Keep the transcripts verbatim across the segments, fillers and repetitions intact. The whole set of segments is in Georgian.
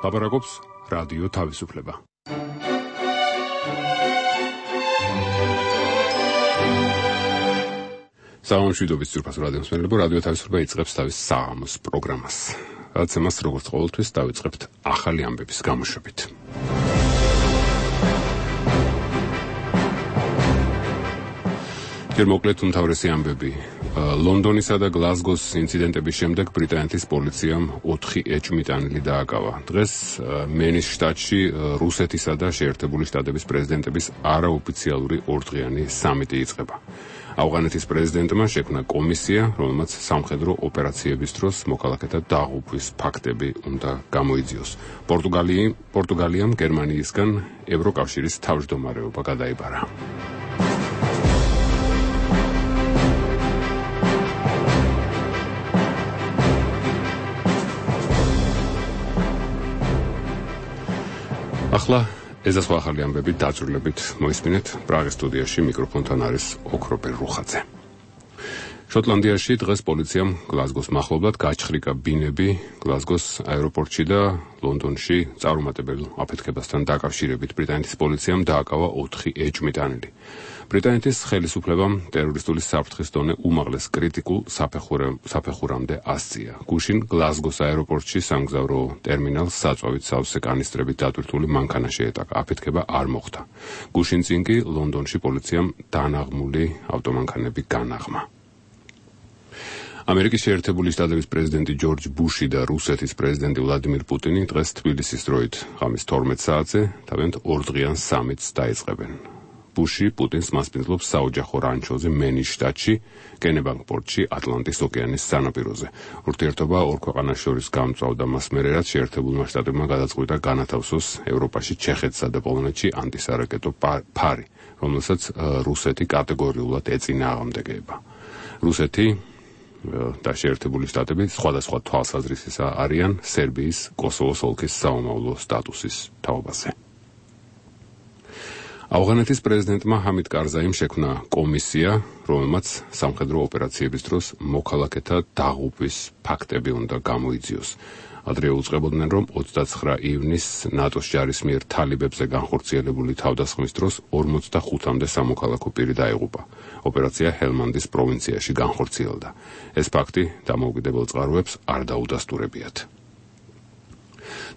ლაპარაკობს რადიო თავისუფლება. სამშვიდობის ძვირფას რადიოს მსმენელებო, რადიო თავისუფლება იწყებს თავის საღამოს პროგრამას. რაც ამას როგორც ყოველთვის დავიწყებთ ახალი ამბების გამოშვებით. ჯერ მოკლედ უმთავრესი ამბები. ლონდონისა და გლაზგოს ინციდენტების შემდეგ ბრიტანეთის პოლიციამ ოთხი ეჭვმიტანილი დააკავა. დღეს მენის შტატში რუსეთისა და შეერთებული შტატების პრეზიდენტების არაოფიციალური ორდღიანი სამიტი იწყება. ავღანეთის პრეზიდენტმა შექმნა კომისია, რომელმაც სამხედრო ოპერაციების დროს მოქალაქეთა დაღუპვის ფაქტები უნდა გამოიძიოს. პორტუგალიამ პორტუგალიამ გერმანიისგან ევროკავშირის თავმჯდომარეობა გადაიბარა. ახლა ეს სხვა ახალი ამბები დაძრულებით მოისმინეთ. პრაღის სტუდიაში მიკროფონთან არის ოქროპერ რუხაძე. შოტლანდიაში დღეს პოლიციამ გლაზგოს მახლობლად გაჩხრიკა ბინები გლაზგოს აეროპორტში და ლონდონში წარუმატებელ აფეთქებასთან დაკავშირებით ბრიტანეთის პოლიციამ დააკავა ოთხი ეჭვმიტანილი. ბრიტანეთის ხელისუფლებამ ტერორისტული საფრთხის დონე უმაღლეს კრიტიკულ საფეხურამდე ასწია. გუშინ გლაზგოს აეროპორტში სამგზავრო ტერმინალს საწვავით სავსე კანისტრებით დატვირთული მანქანა შეეტაკა. აფეთქება არ მოხდა. გუშინ წინ კი ლონდონში პოლიციამ დანაღმული ავტომანქანები განაღმა. ამერიკის შეერთებული შტატების პრეზიდენტი ჯორჯ ბუში და რუსეთის პრეზიდენტი ვლადიმირ პუტინი დღეს თბილისის დროით ღამის თორმეტ საათზე თავიანთ ორდღიან სამიტს დაიწყებენ. ბუში პუტინს მასპინძლობს საოჯახო რანჩოზე მენის შტატში, კენებანგ პორტში, ატლანტის ოკეანის სანაპიროზე. ურთიერთობა ორ ქვეყანას შორის გამწვავდა მას მერე, რაც შეერთებულმა შტატებმა გადაწყვიტა განათავსოს ევროპაში, ჩეხეთსა და პოლონეთში ანტისარაკეტო ფარი, რომელსაც რუსეთი კატეგორიულად ეწინააღმდეგება. რუსეთი და შეერთებული შტატები სხვადასხვა თვალსაზრისისა არიან სერბიის, კოსოვოს ოლქის საომავლო სტატუსის თაობაზე. ავღანეთის პრეზიდენტმა ჰამიდ კარზაიმ შექმნა კომისია, რომელმაც სამხედრო ოპერაციების დროს მოქალაქეთა დაღუპვის ფაქტები უნდა გამოიძიოს. ადრე უწყებოდნენ, რომ ოცდაცხრა ივნისს ნატოს ჯარის მიერ თალიბებზე განხორციელებული თავდასხმის დროს ორმოცდახუთამდე სამოქალაქო პირი დაიღუპა. ოპერაცია ჰელმანდის პროვინციაში განხორციელდა. ეს ფაქტი დამოუკიდებელ წყაროებს არ დაუდასტურებიათ.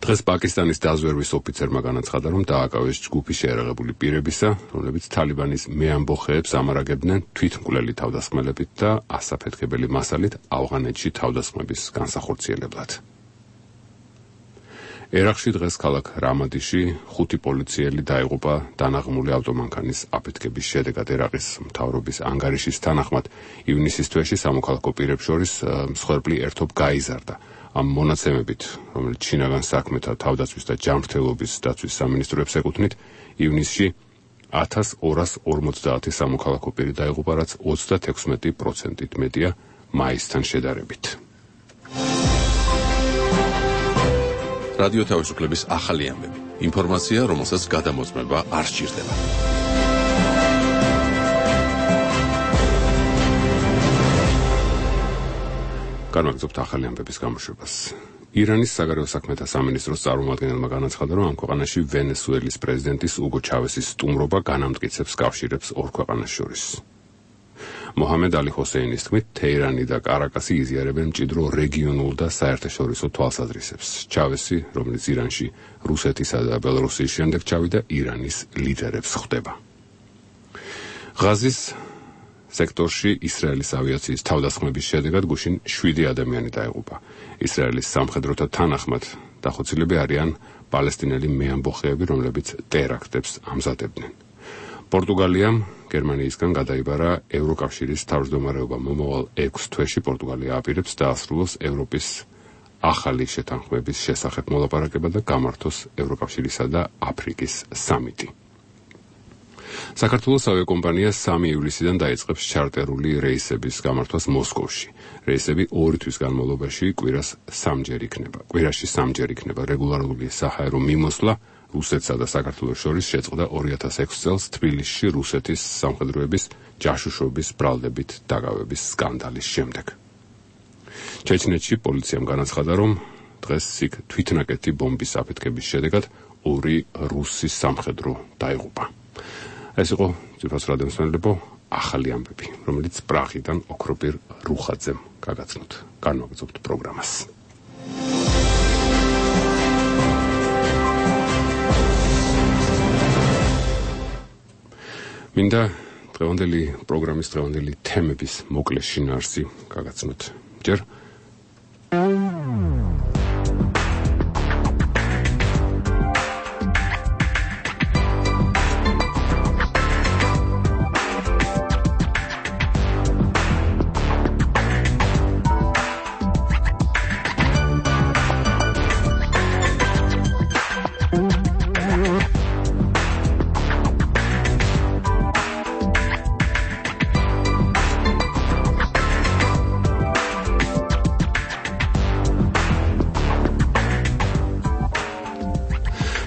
დღეს პაკისტანის დაზვერვის ოფიცერმა განაცხადა, რომ დააკავეს ჯგუფი შეერაღებული პირებისა, რომლებიც თალიბანის მეამბოხეებს ამარაგებდნენ თვითმკვლელი თავდასხმელებით და ასაფეთქებელი მასალით ავღანეთში თავდასხმების განსახორციელებლად. ერაყში დღეს ქალაქ რამადიში ხუთი პოლიციელი დაიღუპა დანაღმული ავტომანქანის აფეთქების შედეგად. ერაყის მთავრობის ანგარიშის თანახმად ივნისის თვეში სამოქალაქო პირებს შორის მსხვერპლი ერთობ გაიზარდა. ამ მონაცემებით, რომელიც შინაგან საქმეთა, თავდაცვის და ჯანმრთელობის დაცვის სამინისტროებს ეკუთვნით, ივნისში ათას ორას ორმოცდაათი სამოქალაქო პირი დაიღუპა, რაც ოცდათექვსმეტი პროცენტით მეტია მაისთან შედარებით. რადიო თავისუფლების ახალი ამბები. ინფორმაცია, რომელსაც გადამოწმება არ სჭირდება. განვაგრძობთ ახალი ამბების გამოშვებას. ირანის საგარეო საქმეთა სამინისტროს წარმომადგენელმა განაცხადა, რომ ამ ქვეყანაში ვენესუელის პრეზიდენტის უგო ჩავესის სტუმრობა განამტკიცებს კავშირებს ორ ქვეყანას შორის. მოჰამედ ალი ჰოსეინის თქმით, თეირანი და კარაკასი იზიარებენ მჭიდრო რეგიონულ და საერთაშორისო თვალსაზრისებს. ჩავესი, რომელიც ირანში რუსეთისა და ბელორუსიის შემდეგ ჩავიდა, ირანის ლიდერებს ხვდება. ღაზის სექტორში ისრაელის ავიაციის თავდასხმების შედეგად გუშინ შვიდი ადამიანი დაიღუპა. ისრაელის სამხედროთა თანახმად დახოცილები არიან პალესტინელი მეამბოხეები, რომლებიც ტერაქტებს ამზადებდნენ. პორტუგალიამ გერმანიისგან გადაიბარა ევროკავშირის თავმჯდომარეობა. მომავალ ექვს თვეში პორტუგალია აპირებს დაასრულოს ევროპის ახალი შეთანხმების შესახებ მოლაპარაკება და გამართოს ევროკავშირისა და აფრიკის სამიტი. საქართველოს ავიაკომპანია სამი ივლისიდან დაიწყებს ჩარტერული რეისების გამართვას მოსკოვში. რეისები ორი თვის განმავლობაში კვირას სამჯერ იქნება. კვირაში სამჯერ იქნება. რეგულარული საჰაერო მიმოსვლა რუსეთსა და საქართველოს შორის შეწყდა ორი ათას ექვსი წელს თბილისში რუსეთის სამხედროების ჯაშუშობის ბრალდებით დაგავების სკანდალის შემდეგ. ჩეჩნეთში პოლიციამ განაცხადა, რომ დღეს იქ თვითნაკეთი ბომბის აფეთქების შედეგად ორი რუსი სამხედრო დაიღუპა. ეს იყო ძვირფას რადიოსმენელებო ახალი ამბები, რომელიც პრაღიდან ოქროპირ რუხაძემ გაგაცნოთ. განვაგრძობთ პროგრამას. მინდა დღევანდელი პროგრამის დღევანდელი თემების მოკლე შინაარსი გაგაცნოთ. ჯერ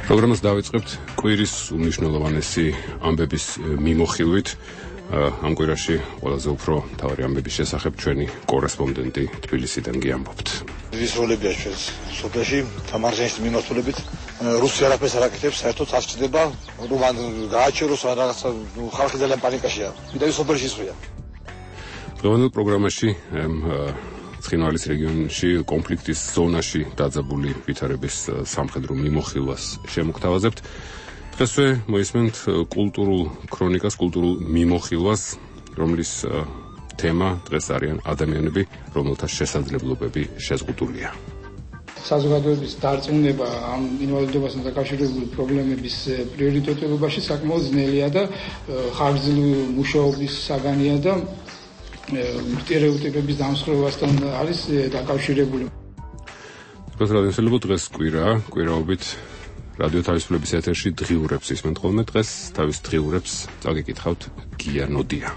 პროგრამას დავიწყებთ კვირის უმნიშვნელოვანესი ამბების მიმოხილვით. ამ კვირაში ყველაზე უფრო მთავარი ამბების შესახებ ჩვენი კორესპონდენტი თბილისიდან გიამბობთ. ის როლებია ჩვენს სოფელში თამარჟანის მიმართულებით რუსი არაფერს არ აკეთებს, საერთოდ არ ჩდება, ნუ მან გააჩეროს რაღაცა, ნუ ხალხი ძალიან პანიკაშია. მინდა ის სოფელში ისვრია. დღევანდელ პროგრამაში ცხინვალის რეგიონში კონფლიქტის ზონაში დაძაბული ვითარების სამხედრო მიმოხილვას შემოგთავაზებთ. დღესვე მოისმენთ კულტურულ ქრონიკას, კულტურულ მიმოხილვას, რომლის თემა დღეს არიან ადამიანები, რომელთა შესაძლებლობები შეზღუდულია. საზოგადოების დარწმუნება ამ ინვალიდობასთან დაკავშირებული პრობლემების პრიორიტეტებობაში საკმაოდ ძნელია და ხანგრძლივი მუშაობის საგანია და სტერეოტიპების დამსხვრევასთან არის დაკავშირებული. პროგრამისელებო დღეს კვირაა, კვირაობით რადიო თავისუფლების ეთერში დღიურებს ისმენთ ხოლმე. დღეს თავის დღიურებს წაგიკითხავთ გია ნოდია.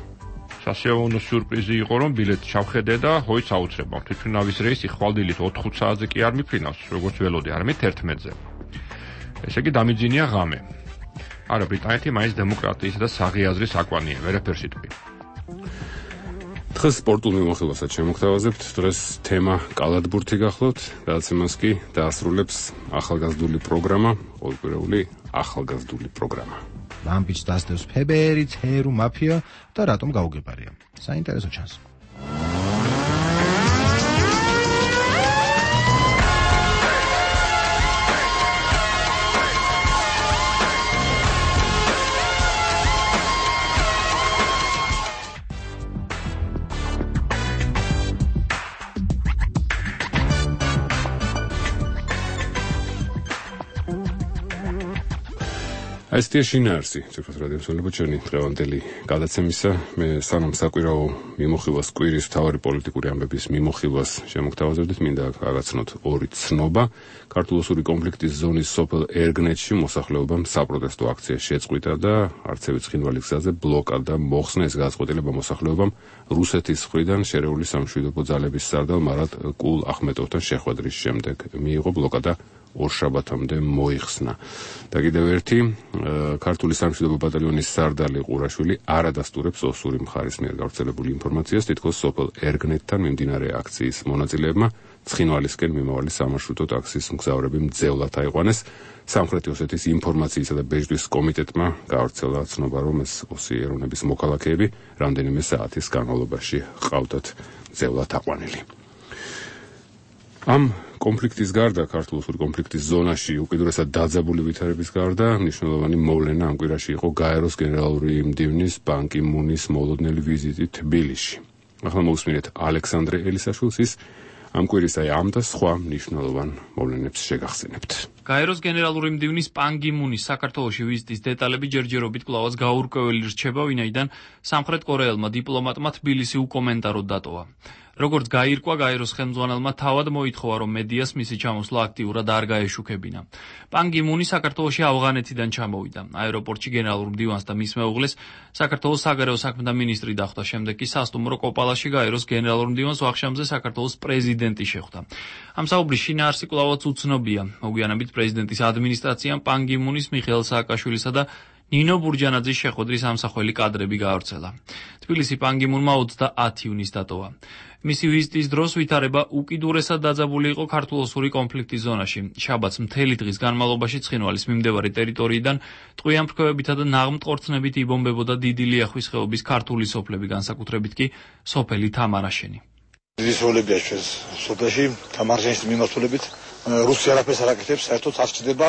სასიამოვნო სიურპრიზი იყო, რომ ბილეთი ჩავხედე და ჰოიც აუცრება. თვითმფრინავის რეისი ხვალდილით ოთხ საათზე კი არ მიფრინავს, როგორც ველოდი, არამედ ერთმეტზე. ესე იგი დამიძინია ღამე. არა, ბრიტანეთი მაინც დემოკრატიის და საღი აზრის აკვანია, ვერაფერს იტყვი. დღეს სპორტულ მიმოხილვასაც შემოგთავაზებთ. დღეს თემა კალათბურთი გახლავთ, გადაცემას კი დაასრულებს ახალგაზრდული პროგრამა, ყოველკვირეული ახალგაზრდული პროგრამა. ლამპიჩს დასდევს ფებერი, ცერუ, მაფია და რატომ გაუგებარია. საინტერესო ჩანს. ესეთი შინაარსი, ძვირფას რადიოსმენელებო ჩვენი დღევანდელი გადაცემისა. მე სანამ საკვირაო მიმოხილვას, კვირის მთავარი პოლიტიკური ამბების მიმოხილვას შემოგთავაზებდით, მინდა გაგაცნოთ ორი ცნობა. ქართულ-ოსური კონფლიქტის ზონის სოფელ ერგნეთში მოსახლეობამ საპროტესტო აქცია შეწყვიტა და არცევით ცხინვალი გზაზე ბლოკადა მოხსნა. ეს გადაწყვეტილება მოსახლეობამ რუსეთის მხრიდან შერეული სამშვიდობო ძალების სარდალ მარად კულ ახმეტოვთან შეხვედრის შემდეგ მიიღო. ბლოკადა ორ შაბათამდე მოიხსნა. და კიდევ ერთი, ქართული სამშვიდობო ბატალიონის სარდალი ყურაშვილი არ ადასტურებს ოსური მხარის მიერ გავრცელებული ინფორმაციას, თითქოს სოფელ ერგნეთთან მიმდინარე აქციის მონაწილეებმა ცხინვალისკენ მიმავალი სამარშრუტო ტაქსის მგზავრები მძევლად აიყვანეს. სამხრეთი ოსეთის ინფორმაციისა და ბეჭდვის კომიტეტმა გავრცელა ცნობა, რომ ეს ოსი ეროვნების მოქალაქეები რამდენიმე საათის განმავლობაში ჰყავდათ მძევლად აყვანილი. ამ კონფლიქტის გარდა, ქართულ-ოსური კონფლიქტის ზონაში უკიდურესად დაძაბული ვითარების გარდა, მნიშვნელოვანი მოვლენა ამ კვირაში იყო გაეროს გენერალური მდივნის ბან კი მუნის მოლოდნელი ვიზიტი თბილისში. ახლა მოვუსმინეთ ალექსანდრე ელისაშვილს, ის ამ კვირის აი ამ და სხვა მნიშვნელოვან მოვლენებს შეგახსენებთ. გაეროს გენერალური მდივნის ბან კი მუნის საქართველოში ვიზიტის დეტალები ჯერჯერობით კვლავაც გაურკვეველი რჩება, ვინაიდან სამხრეთ კორეელმა დიპლომატმა თბილისი უკომენტაროდ დატოვა. როგორც გაირკვა, გაეროს ხელმძღვანელმა თავად მოითხოვა, რომ მედიას მისი ჩამოსვლა აქტიურად არ გაეშუქებინა. ბან კი მუნი საქართველოში ავღანეთიდან ჩამოვიდა. აეროპორტში გენერალურ მდივანს და მის მეუღლეს საქართველოს საგარეო საქმეთა მინისტრი დახვდა. შემდეგ კი სასტუმრო კოპალაში გაეროს გენერალურ მდივანს ვახშამზე საქართველოს პრეზიდენტი შეხვდა. ამ საუბრის შინაარსი კვლავაც უცნობია. მოგვიანებით პრეზიდენტის ადმინისტრაციამ ბან კი მუნის, მიხეილ სააკაშვილისა და ნინო ბურჯანაძის შეხვედრის ამსახველი კადრები გაავრცელა. თბილისი ბან კი მუნმა ოცდაათი ივნისს დატოვა. მისი ვიზიტის დროს ვითარება უკიდურესად დაძაბული იყო ქართულ-ოსური კონფლიქტის ზონაში. შაბათს მთელი დღის განმავლობაში ცხინვალის მიმდებარე ტერიტორიიდან ტყვიან ფრქვევებითა და ნაღმტყორცნებით იბომბებოდა დიდი ლიახვის ხეობის ქართული სოფლები, განსაკუთრებით კი სოფელი თამარაშენი. დიდი სროლებია ჩვენს სოფელში, თამარაშენის მიმართულებით. რუსი არაფერს არ აკეთებს, საერთოდ არ ჩდება,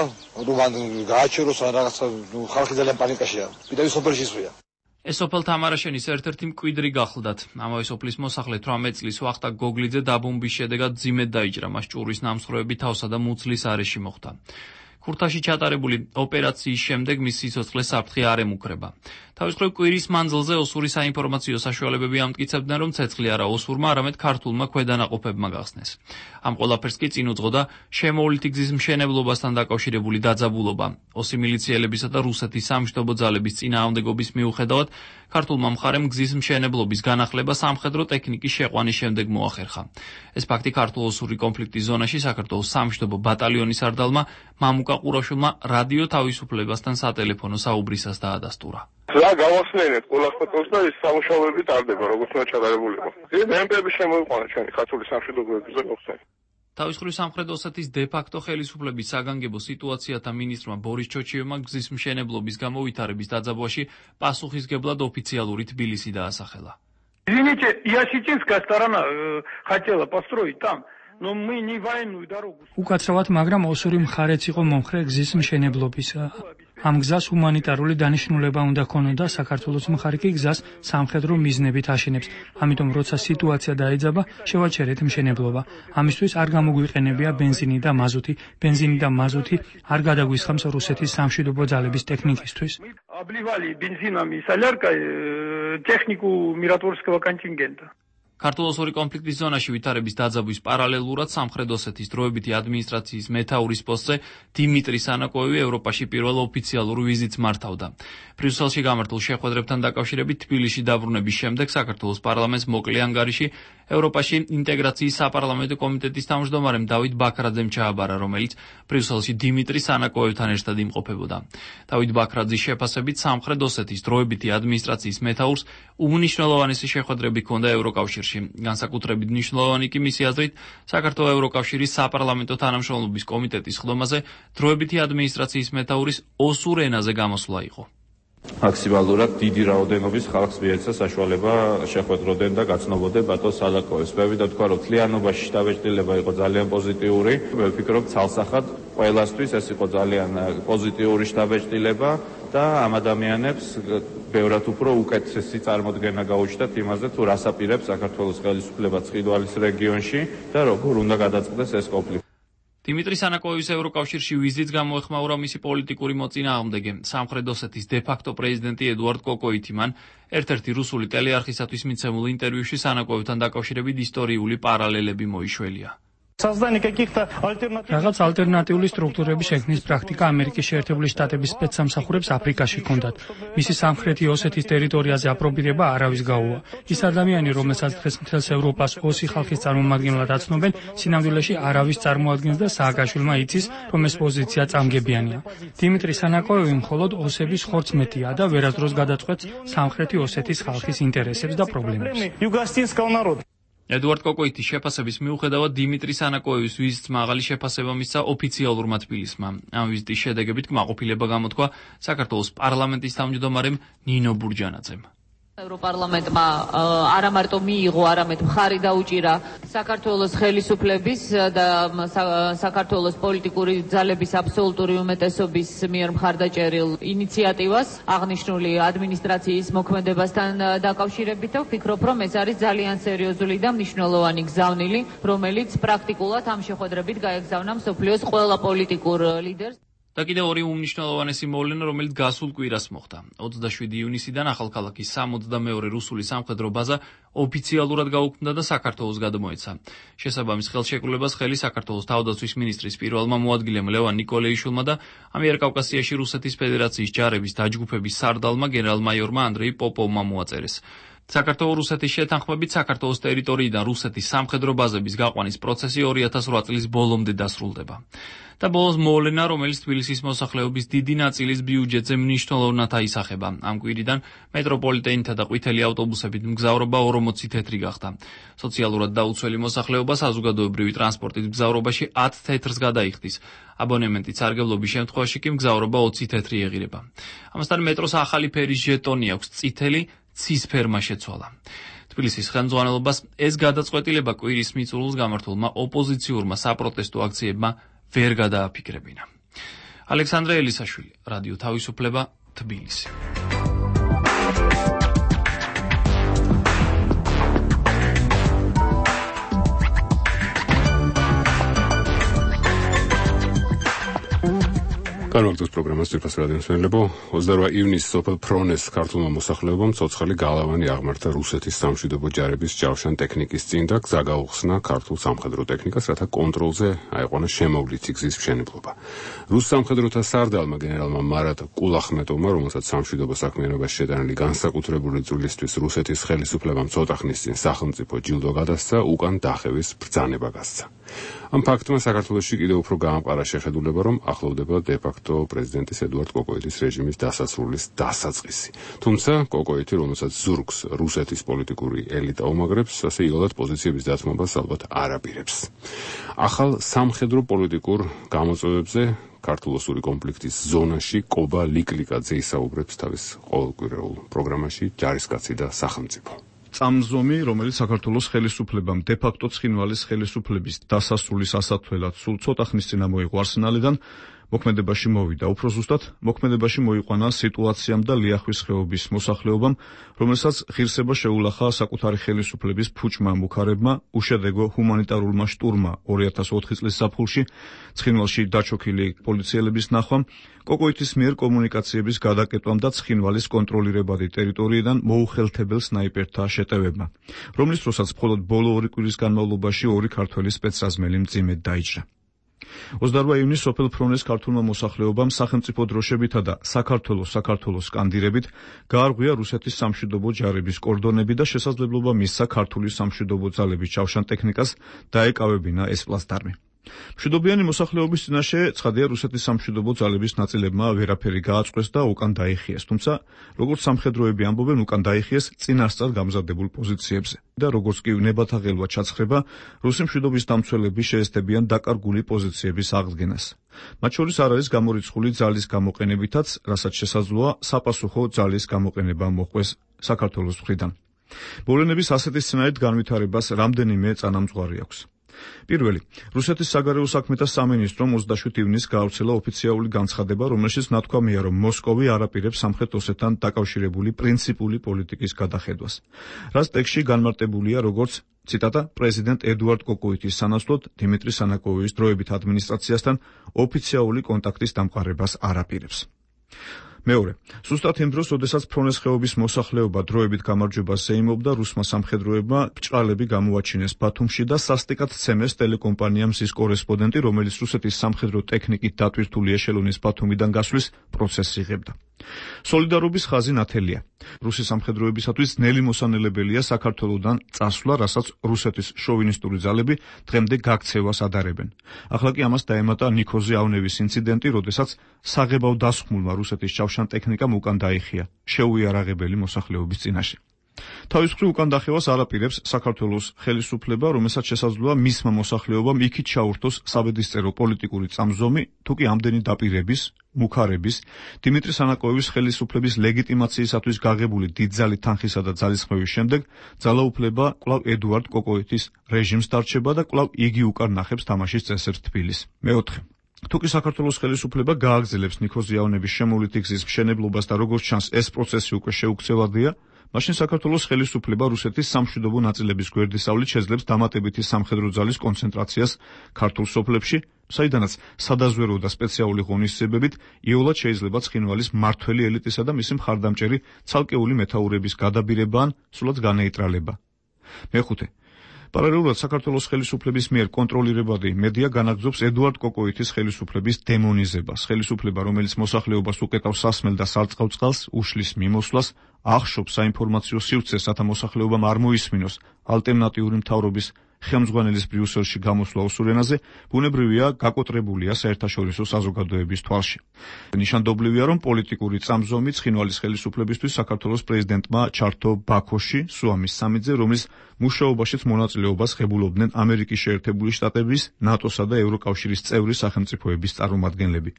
რომ ან გააჩეროს ან რაღაცა, ხალხი ძალიან პანიკაშია. კიდევ სოფელში ისვია. ეს სოფელ თამარაშენის ერთ-ერთი მკვიდრი გახლდათ. ამავე სოფლის მოსახლე თვრამეტ წლის ვახტანგ გოგლიძე დაბომბვის შედეგად ძიმედ დაიჭრა, მას ჭურვის ნამსხვრევები თავსა და მუცლის არეში მოხვდა. ქურთაში ჩატარებული ოპერაციის შემდეგ მის სიცოცხლეს საფრთხე არ ემუქრება. თავის მხრივ კვირის მანძილზე ოსური საინფორმაციო საშუალებები ამტკიცებდნენ, რომ ცეცხლი არა ოსურმა, არამედ ქართულმა ქვედანაყოფებმა გახსნეს. ამ ყველაფერს კი წინ უძღოდა შემოვლითი გზის მშენებლობასთან დაკავშირებული დაძაბულობა. ოსი მილიციელებისა და რუსეთის სამშვიდობო ძალების წინააღმდეგობის მიუხედავად, ქართულმა მხარემ გზის მშენებლობის განახლება სამხედრო ტექნიკის შეყვანის შემდეგ მოახერხა. ეს ფაქტი ქართულ-ოსური კონფლიქტის ზონაში საქართველოს სამშვიდობო ბატალიონის სარდალმა მამუკა ყურაშვილმა რადიო თავისუფლებასთან სატელეფონო საუბრისას დაადასტურა. რა გავახსენეთ ყველას ფოტოს და ის სამუშაოები ტარდება, როგორც უნდა ჩატარებული იყო. მემბები შემოიყვანა ჩვენი ქართული სამშვიდობოების ზონაში. თავის მხრივ სამხრეთ ოსეთის დე-ფაქტო ხელისუფლების საგანგებო სიტუაციათა მინისტრმა ბორის ჩოჩიევმა გზის მშენებლობის გამოვითარების დაძაბვაში პასუხისგებლად ოფიციალური თბილისი დაასახელა. Извините, я сейчас сторона хотела построить там. Но мы не военную дорогу. უკაცრავად, მაგრამ ოსური მხარეც იყო მომხრე გზის მშენებლობისა. ამ გზას ჰუმანიტარული დანიშნულება უნდა ქონოდა, საქართველოს მხარე კი გზას სამხედრო მიზნებით აშენებს. ამიტომ როცა სიტუაცია დაეძაბა, შევაჩერეთ მშენებლობა. ამისთვის არ გამოგვიყენებია ბენზინი და მაზუთი, ბენზინი და მაზუთი არ გადაგვისხამს რუსეთის სამშვიდობო ძალების ტექნიკისთვის. Обливали бензинами и соляркой технику миротворческого контингента. ქართულ-ოსური კონფლიქტის ზონაში ვითარების დაძაბვის პარალელურად სამხრეთ ოსეთის დროებითი ადმინისტრაციის მეთაურის პოსტზე დიმიტრი სანაკოევი ევროპაში პირველ ოფიციალურ ვიზიტს მართავდა. ბრიუსელში გამართულ შეხვედრებთან დაკავშირებით თბილისში დაბრუნების შემდეგ საქართველოს პარლამენტს მოკლე ანგარიში ევროპაში ინტეგრაციის საპარლამენტო კომიტეტის თავმჯდომარემ დავით ბაქრაძემ ჩააბარა, რომელიც ბრიუსელში დიმიტრი სანაკოევთან ერთად იმყოფებოდა. დავით ბაქრაძის შეფასებით სამხრეთ ოსეთის დროებითი ადმინისტრაციის მეთაურს უმნიშვნელოვანესი შეხვედრები ჰქონდა ევროკავშირში. განსაკუთრებით მნიშვნელოვანი კი მისი აზრით საქართველოს ევროკავშირის საპარლამენტო თანამშრომლობის კომიტეტის ხდომაზე დროებითი ადმინისტრაციის მეთაურის ოსურ ენაზე გამოსვლა იყო. მაქსიმალურად დიდი რაოდენობის ხალხს მიეცა საშუალება შეხვედროდნენ და გაცნობოდნენ ბატონ სალაკოევს. მე ვიდა თქვა, რომ თლიანობაში შთაბეჭდილება იყო ძალიან პოზიტიური. მე ვფიქრობ, ცალსახად ყველასთვის ეს იყო ძალიან პოზიტიური შთაბეჭდილება და ამ ადამიანებს ბევრად უფრო უკეთესი წარმოდგენა გაუჩნდათ იმაზე, თუ რას აპირებს საქართველოს ხელისუფლება ცხინვალის რეგიონში და როგორ უნდა გადაწყდეს ეს კონფლიქტი. დიმიტრი სანაკოევის ევროკავშირში ვიზიტს გამოეხმაურა მისი პოლიტიკური მოწინააღმდეგე, სამხრეთ ოსეთის დე-ფაქტო პრეზიდენტი ედუარდ კოკოიტი. მან ერთ-ერთი რუსული ტელეარხისათვის მიცემულ ინტერვიუში სანაკოევთან დაკავშირებით ისტორიული პარალელები მოიშველია. რაღაც ალტერნატიული სტრუქტურების შექმნის პრაქტიკა ამერიკის შეერთებული შტატების სპეცსამსახურებს აფრიკაში ჰქონდათ. მისი სამხრეთი ოსეთის ტერიტორიაზე აპრობირება არავის გაუვა. ის ადამიანი, რომელსაც დღეს მთელს ევროპას ოსი ხალხის წარმომადგენლად აცნობენ, სინამდვილეში არავის წარმოადგენს და სააკაშვილმა იცის, რომ ეს პოზიცია წამგებიანია. დიმიტრი სანაკოევი მხოლოდ ოსების ხორცმეტია და ვერასდროს გადაწყვეტს სამხრეთი ოსეთის ხალხის ინტერესებს და პრობლემებს. ედუარდ კოკოიტის შეფასების მიუხედავად დიმიტრი სანაკოევის ვიზიტს მაღალი შეფასება მისცა ოფიციალურმა თბილისმა. ამ ვიზიტის შედეგებით კმაყოფილება გამოთქვა საქართველოს პარლამენტის თავმჯდომარემ ნინო ბურჯანაძემ. ევროპარლამენტმა არა მარტო მიიღო, არამედ მხარი დაუჭირა საქართველოს ხელისუფლების და საქართველოს პოლიტიკური ძალების აბსოლუტური უმეტესობის მიერ მხარდაჭერილ ინიციატივას აღნიშნული ადმინისტრაციის მოქმედებასთან დაკავშირებით და ვფიქრობ, რომ ეს არის ძალიან სერიოზული და მნიშვნელოვანი გზავნილი, რომელიც პრაქტიკულად ამ შეხვედრებით გაეგზავნა მსოფლიოს ყველა პოლიტიკურ ლიდერს. და კიდევ ორი უმნიშვნელოვანესი მოვლენა, რომელიც გასულ კვირას მოხდა. ოცდაშვიდი ივნისიდან ახალქალაქის სამოცდამეორე რუსული სამხედრო ბაზა ოფიციალურად გაუქმდა და საქართველოს გადმოეცა. შესაბამის ხელშეკრულებას ხელი საქართველოს თავდაცვის მინისტრის პირველმა მოადგილემ ლევან ნიკოლეიშვილმა და ამიერკავკასიაში რუსეთის ფედერაციის ჯარების დაჯგუფების სარდალმა გენერალ-მაიორმა ანდრეი პოპოვმა მოაწერეს. საქართველოს-რუსეთის შეთანხმებით საქართველოს ტერიტორიიდან რუსეთის სამხედრო ბაზების გაყვანის პროცესი ორი ათას ორი წლის ბოლომდე დასრულდება. და ბოლოს მოვლენა, რომელიც თბილისის მოსახლეობის დიდი ნაწილის ბიუჯეტზე მნიშვნელოვნად აისახება. ამ კვირიდან მეტროპოლიტენითა და ყვითელი ავტობუსებით მგზავრობა ორმოცი თეთრი გახდა. სოციალურად დაუცველი მოსახლეობა საზოგადოებრივი ტრანსპორტით მგზავრობაში ათ თეთრს გადაიხდის. აბონემენტის სარგებლობის შემთხვევაში კი მგზავრობა ოცი თეთრი ეღირება. ამასთან მეტროს ახალი ფერის ჟეტონი აქვს, წითელი ცის ფერმა შეცვალა. თბილისის ხელმძღვანელობას ეს გადაწყვეტილება კვირის მიწურულს გამართულმა ოპოზიციურმა საპროტესტო აქციებმა ვერ გადააფიქრებინა. ალექსანდრე ელისაშვილი, რადიო თავისუფლება, თბილისი. განვაგრძელოთ პროგრამას ძირფას რადიოს მსმენელებო. ოცდაორმა ივნისს სოფელ ფრონეს ქართულმა მოსახლეობამ ცოცხალი გალავანი აღმართა რუსეთის სამშვიდობო ჯარების ჯავშან ტექნიკის წინ და გზა გაუხსნა ქართულ სამხედრო ტექნიკას, რათა კონტროლზე აიყვანა შემოვლითი გზის მშენებლობა. რუს სამხედროთა სარდალმა გენერალმა მარატ კულახმეტოვმა, რომელსაც სამშვიდობო საქმიანობაში შეტანილი განსაკუთრებული წვლილისთვის რუსეთის ხელისუფლებამ ცოტა ხნის წინ სახელმწიფო ჯილდო გადასცა, უკან დახევის ბრძანება გასცა. ამ ფაქტმა საქართველოში კიდევ უფრო გაამყარა შეხედულება, რომ ახლოვდება დე-ფაქტო პრეზიდენტის ედუარდ კოკოიძის რეჟიმის დასასრულის დასაწყისი. თუმცა კოკოიძე, რომელსაც ზურგს რუსეთის პოლიტიკური ელიტა უმაგრებს, ასე იოლად პოზიციების დათმობას ალბათ არ აპირებს. ახალ სამხედრო პოლიტიკურ გამოწვევებზე ქართულ-რუსული კონფლიქტის ზონაში კობა ლიკლიკაძე ისაუბრებს თავის ყოველკვირეულ პროგრამაში ჯარისკაცი და სახელმწიფო. წამზომი, რომელიც საქართველოს ხელისუფლებამ დე-ფაქტო ცხინვალის ხელისუფლების დასასრულის ასათვლელად სულ ცოტა ხნის წინ მოიღო არსენალიდან, მოქმედებაში მოვიდა. უფრო ზუსტად, მოქმედებაში მოიყვანა სიტუაციამ და ლიახვის ხეობის მოსახლეობამ, რომელსაც ღირსება შეულახა საკუთარი ხელისუფლების ფუჭმა მუქარებმა, უშედეგო ჰუმანიტარულმა შტურმა ორი ათას ოთხი წლის ზაფხულში, ცხინვალში დაჩოქილი პოლიციელების ნახვამ, კოკოიძის მიერ კომუნიკაციების გადაკეტვამ და ცხინვალის კონტროლირებადი ტერიტორიიდან მოუხელთებელ სნაიპერთა შეტევებმა, რომლის დროსაც მხოლოდ ბოლო ორი კვირის განმავლობაში ორი ქართველი სპეცრაზმელი მძიმედ დაიჭრა. ოცდაორმა ივნისს სოფელ ფრონეს ქართულმა მოსახლეობამ სახელმწიფო დროშებითა და საქართველოს საქართველოს სკანდირებით გაარღვია რუსეთის სამშვიდობო ჯარების კორდონები და შესაძლებლობა მისცა ქართული სამშვიდობო ძალების ჯავშან ტექნიკას დაეკავებინა ეს პლაცდარმი. მშვიდობიანი მოსახლეობის წინაშე ცხადია რუსეთის სამშვიდობო ძალების ნაწილებმა ვერაფერი გააწყვეს და უკან დაიხიეს, თუმცა როგორც სამხედროები ამბობენ, უკან დაიხიეს წინასწარ გამზადებულ პოზიციებზე და როგორც კი ნებათაღელვა ჩაცხრება, რუსი მშვიდობის დამცველები შეესწებიან დაკარგული პოზიციების აღდგენას. მათ შორის არ არის გამორიცხული ძალის გამოყენებითაც, რასაც შესაძლოა საპასუხო ძალის გამოყენება მოხდეს საქართველოს მხრიდან. მოვლენების ასეთი სცენარით განვითარებას რამდენიმე წანამძღვარი აქვს. პირველი, რუსეთის საგარეო საქმეთა სამინისტრომ ოცდაშვიდ ივნისს გაავრცელა ოფიციალური განცხადება, რომელშიც ნათქვამია, რომ მოსკოვი არ აპირებს სამხრეთ ოსეთთან დაკავშირებული პრინციპული პოლიტიკის გადახედვას, რაც ტექსტში განმარტებულია როგორც ციტატა პრეზიდენტ ედუარდ კოკოიძის სანაცვლოდ დიმიტრი სანაკოვის დროებით ადმინისტრაციასთან ოფიციალური კონტაქტის დამყარებას არ აპირებს. მეორე, ზუსტად იმ დროს, როდესაც ფრონეს ხეობის მოსახლეობა დროებით გამარჯვებას ეიმობდა, რუსმა სამხედროებმა ბრჭყალები გამოაჩინეს ბათუმში და სასტიკად ცემეს ტელეკომპანია მზის კორესპონდენტი, რომელიც რუსეთის სამხედრო ტექნიკით დატვირთული ეშელონის ბათუმიდან გასვლის პროცესს იღებდა. სოლიდარობის ხაზი ნათელია. რუსი სამხედროებისათვის ძნელი მოსანელებელია საქართველოსთან წასვლა, რასაც რუსეთის შოვინისტური ძალები დღემდე გაქცევას ადარებენ. ახლა კი ამას დაემატა ნიქოზი ავნევის ინციდენტი, როდესაც საღებავ დასხმულმა რუსეთის ჯავშან ტექნიკამ უკან დაიხია შეუიარაღებელი მოსახლეობის წინაშე. თავის მხრივ უკან დახევას არ აპირებს საქართველოს ხელისუფლება, რომელსაც შესაძლოა მისმა მოსახლეობამ იქით ჩაურთოს საბედისწერო პოლიტიკური წამზომი, თუ კი ამდენი დაპირების, მუქარების, დიმიტრი სანაკოევის ხელისუფლების ლეგიტიმაციისათვის გაღებული დიდძალი თანხისა და ძალისხმევის შემდეგ ძალაუფლება კვლავ ედუარდ კოკოიძის რეჟიმს დარჩება და კვლავ იგი უკან ნახებს თამაშის წესებს თბილისს. მეოთხე, თუკი საქართველოს ხელისუფლება გააგრძელებს ნიქოზი ავნევის შემოვლითი გზის მშენებლობას და როგორც ჩანს ეს პროცესი უკვე შეუქცევადია, მაშინ საქართველოს ხელისუფლება რუსეთის სამშვიდობო ნაწილების გვერდისავლით შეძლებს დამატებითი სამხედრო ძალის კონცენტრაციას ქართულ სოფლებში, საიდანაც სადაზვერვო და სპეციალური ღონისძიებებით იოლად შეიძლება ცხინვალის მმართველი ელიტისა და მისი მხარდამჭერი ცალკეული მეთაურების გადაბირება ან სულაც განეიტრალება. მეხუთე, პარალელურად საქართველოს ხელისუფლების მიერ კონტროლირებადი მედია განაგრძობს ედუარდ კოკოიტის ხელისუფლების დემონიზებას. ხელისუფლება, რომელიც მოსახლეობას უკეტავს სასმელ და სარწყავ წყალს, უშლის მიმოსვლას, ახშობს საინფორმაციო სივრცეს, რათა მოსახლეობამ არ მოისმინოს ალტერნატიული მთავრობის ხელმძღვანელის ბრიუსელში გამოსვლა ოსურ ენაზე, ბუნებრივია გაკოტრებულია საერთაშორისო საზოგადოების თვალში. ნიშანდობლივია, რომ პოლიტიკური წამსვლელი ცხინვალის ხელისუფლებისთვის საქართველოს პრეზიდენტმა ჩართო ბაქოში სუამის სამიტზე, რომლის მუშაობაშიც მონაწილეობას ღებულობდნენ ამერიკის შეერთებული შტატების, ნატოსა და ევროკავშირის წევრი სახელმწიფოების წარმომადგენლები.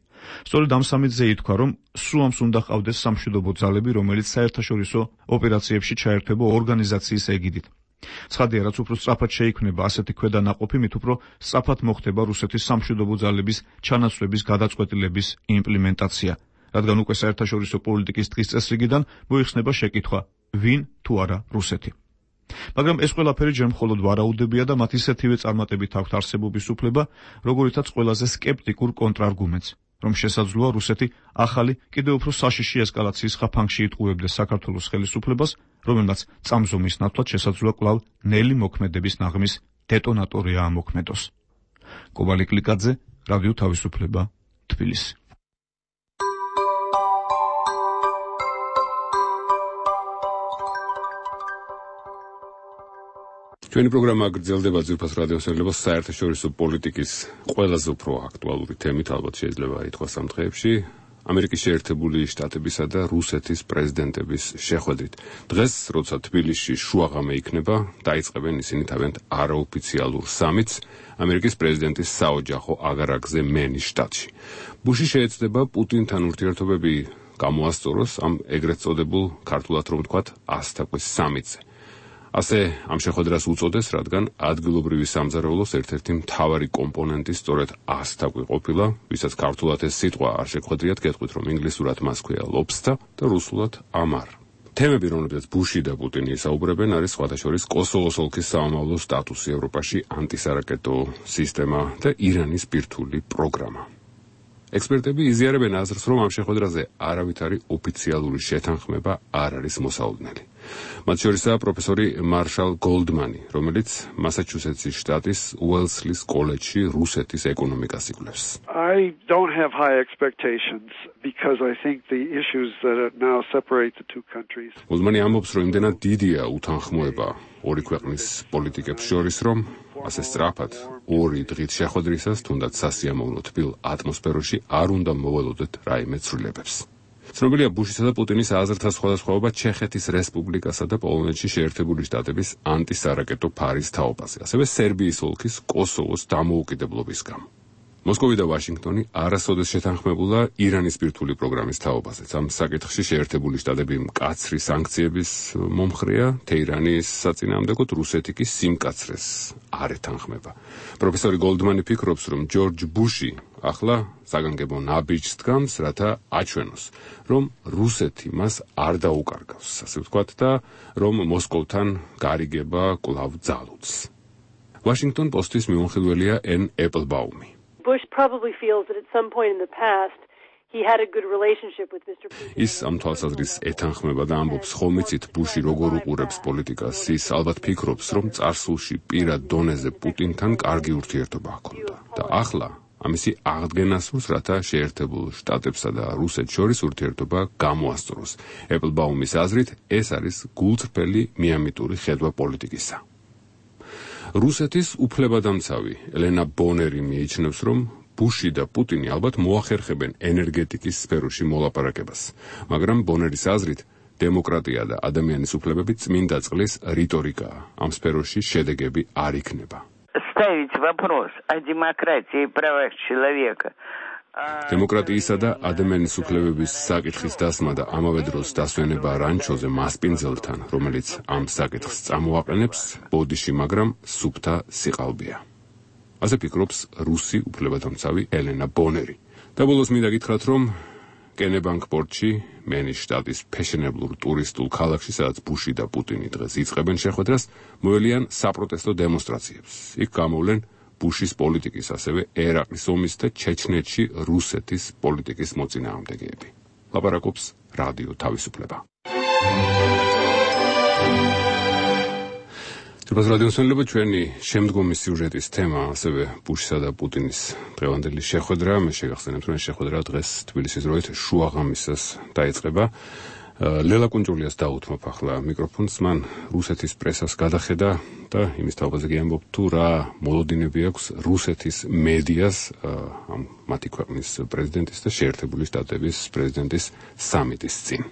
სწორედ ამ სამიტზე ითქვა, რომ სუამს უნდა ჰყავდეს სამშვიდობო ძალები, რომელიც საერთაშორისო ოპერაციებში ჩაერთვება ორგანიზაციის ეგიდით. ცხადია, რაც უფრო სწრაფად შეიქმნება ასეთი ქვედანაყოფი, მით უფრო სწრაფად მოხდება რუსეთის სამშვიდობო ძალების ჩანაცვლების გადაწყვეტილების იმპლემენტაცია, რადგან უკვე საერთაშორისო პოლიტიკის დღის წესრიგიდან მოიხსნება შეკითხვა, ვინ თუ არა რუსეთი. მაგრამ ეს ყველაფერი ჯერ მხოლოდ ვარაუდებია და მათ ისეთივე წარმატებით აქვთ არსებობის უფლება, როგორითაც ყველაზე სკეპტიკურ კონტრარგუმენტს, რომ შესაძლოა რუსეთი ახალი, კიდევ უფრო საშიში ესკალაციის ხაფანგში იტყუებდეს საქართველოს ხელისუფლებას, რომელმაც წამსვლის ნაცვლად შესაძლოა კვლავ ნელი მოქმედების ნაღმის დეტონატორია ამოქმედოს. კობალი კლიკაძე, რადიო თავისუფლება, თბილისი. ჩვენი პროგრამა გრძელდება ძვირფას რადიოსერიალს საერთაშორისო პოლიტიკის ყველაზე უფრო აქტუალური თემით, ალბათ შეიძლება ითქვას ამ დღეებში, ამერიკის შეერთებული შტატებისა და რუსეთის პრეზიდენტების შეხვედრით. დღეს, როცა თბილისში შუაღამე იქნება, დაიწყებენ ისინი თავიანთ არაოფიციალურ სამიტს ამერიკის პრეზიდენტის საოჯახო აგარაკზე მენის შტატში. ბუში შეეცდება პუტინთან ურთიერთობები გამოასწოროს ამ ეგრეთ წოდებულ ქართულად რომ ვთქვათ ასთაყვის სამიტზე. ასე ამ შეხვედრას უწოდეს, რადგან ადგილობრივი სამზარეულოს ერთ-ერთი მთავარი კომპონენტი სწორედ ასთაყვი ყოფილა, ვისაც ქართულად ეს სიტყვა არ შეხვედრიათ, გეტყვით, რომ ინგლისურად მას ქვია lobster და რუსულად ამარ. თემები, რომლებზეც ბუში და პუტინი ისაუბრებენ, არის სხვათა შორის კოსოვოს ოლქის სამამულო სტატუსი ევროპაში, ანტისარაკეტო სისტემა და ირანის ბირთვული პროგრამა. ექსპერტები იზიარებენ აზრს, რომ ამ შეხვედრაზე არავითარი ოფიციალური შეთანხმება არ არის მოსაოდნელი. მათ შორისაა პროფესორი მარშალ გოლდმანი, რომელიც მასაჩუსეტსის შტატის უელსლის კოლეჯში რუსეთის ეკონომიკას იკვლევს. I don't have high expectations because I think the issues that now separate the two countries. გოლდმანი ამბობს, რომ იმდენად დიდია უთანხმოება ორი ქვეყნის პოლიტიკებს შორის, რომ ასე სწრაფად ორი დღით შეხვედრისას, თუნდაც სასიამოვნო თბილ ატმოსფეროში არ უნდა მოველოდეთ რაიმე ცვლილებებს. ცნობილია ბუშისა და პუტინის აზრთა სხვადასხვაობა ჩეხეთის რესპუბლიკასა და პოლონეთში შეერთებული შტატების ანტისარაკეტო ფარის თაობაზე, ასევე სერბიის ოლქის კოსოვოს დამოუკიდებლობის გამო. მოსკოვი და ვაშინგტონი არასოდეს შეთანხმებულა ირანის ბირთვული პროგრამის თაობაზე. ამ საკითხში შეერთებული შტატები მკაცრი სანქციების მომხრეა, თეირანის საწინააღმდეგოდ რუსეთი კი სიმკაცრეს არ ეთანხმება. პროფესორი გოლდმანი ფიქრობს, რომ ჯორჯ ბუში ახლა საგანგებო ნაბიჯს დგამს, რათა აჩვენოს, რომ რუსეთი მას არ დაუკარგავს, ასე ვთქვათ, და რომ მოსკოვთან გარიგება კვლავ ძალუძს. Washington Post-ის მიმოხილველია ენ ეპლბაუმი. Bush probably feels that at some point in the past he had a good relationship with Mister Putin. ის ამ თვალსაზრისით ეთანხმება და ამბობს, ხომიცით ბუში როგორ უყურებს პოლიტიკას, ის ალბათ ფიქრობს, რომ წარსულში პირად დონეზე პუტინთან კარგი ურთიერთობა ჰქონდა და ახლა ამისი აღდგენა სურს, რათა შეერთებულ შტატებსა და რუსეთს შორის ურთიერთობა გამოასწოროს. ეპლბაუმის აზრით, ეს არის გულწრფელი მიამიტური ხედვა პოლიტიკისა. რუსეთის უფლებადამცავი ელენა ბონერი მიიჩნევს, რომ ბუში და პუტინი ალბათ მოახერხებენ ენერგეტიკის სფეროში მოლაპარაკებას, მაგრამ ბონერის აზრით, დემოკრატია და ადამიანის უფლებები წმინდა წყლის რიტორიკაა. ამ სფეროში შედეგები არ იქნება. Ставить вопрос о демократии и правах человека. დემოკრატიისა და ადამიანის უფლებების საკითხის დასმა და ამავე დროს დასვენება რანჩოზე მასპინძელთან, რომელიც ამ საკითხს წამოაყენებს, ბოდიში, მაგრამ სუფთა სიყალბეა. ასე ფიქრობს რუსი უფლებადამცავი ელენა ბონერი. და ბოლოს მინდა გითხრათ, რომ კენებანკ პორტში, მენის შტატის ფეშენებლურ ტურისტულ ქალაქში, სადაც ბუში და პუტინი დღეს იწყებენ შეხვედრას, მოელიან საპროტესტო დემონსტრაციებს. იქ გამოვლენ ბუშის პოლიტიკის, ასევე ერაყის ომის და ჩეჩნეთში რუსეთის პოლიტიკის მოწინააღმდეგეები. ლაპარაკობს რადიო თავისუფლება. ზურბაზ რადიოსმენელობა, ჩვენი შემდგომი სიუჟეტის თემა ასევე ბუშისა და პუტინის დღევანდელი შეხვედრა. მე შეგახსენებთ, რომ შეხვედრა დღეს თბილისის დროით შუაღამისას დაიწყება. ლელა კუნჯულიას დაუთმობ ახლა მიკროფონს, მან რუსეთის პრესას გადახედა და იმის თავზე ამბობ თუ რა მოლოდინები აქვს რუსეთის მედიას, ამ მათი ქვეყნის პრეზიდენტის და შეერთებული შტატების პრეზიდენტის სამიტის წინ.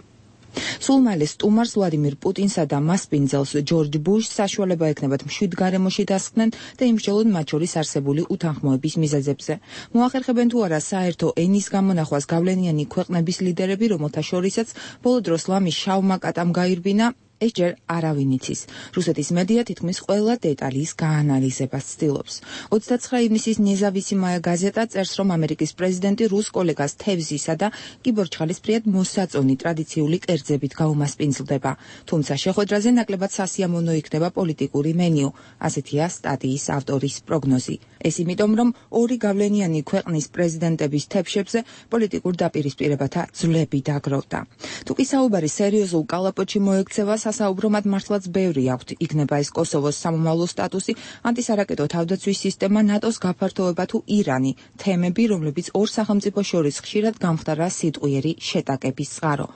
სულ მალე სტუმარს ვლადიმირ პუტინსა და მას პინძელს ჯორჯ ბუშს საშუალება ექნებათ მშვიდ გარემოში დასხდნენ და იმსჯელონ მათ შორის არსებული უთანხმოების მიზეზებზე. მოახერხებენ თუ არა საერთო ენის გამონახვას გავლენიანი ქვეყნების ლიდერები, რომელთა შორისაც ბოლო დროს ლამის შავმა კატამ გაირბინა, ეს ჯერ არავინ იცის. რუსეთის მედია თითქმის ყველა დეტალის გაანალიზებას ცდილობს. ოცდაცხრა ივნისის ნეზავისიმაია გაზეტა წერს, რომ ამერიკის პრეზიდენტი რუს კოლეგას თევზისა და კიბორჩხალისფრიად მოსაწონი ტრადიციული კერძებით გაუმასპინძლდება. თუმცა შეხვედრაზე ნაკლებად სასიამოვნო იქნება პოლიტიკური მენიუ, ასეთია სტატიის ავტორის პროგნოზი. ეს იმიტომ, რომ ორი გავლენიანი ქვეყნის პრეზიდენტების თებშებზე პოლიტიკურ დაპირისპირებათა ძვლები დაგროვდა. თუკი საუბარი სერიოზულ კალაპოტში მოექცევა, სასაუბრომად მართლაც ბევრი აქვთ, იქნება ეს კოსოვოს სამომავლო სტატუსი, ანტისარაკეტო თავდაცვის სისტემა, ნატოს გაფართოება თუ ირანი, თემები, რომლებიც ორ სახელმწიფოს შორის ხშირად გამხდარა სიტყვიერი შეტაკების წყარო.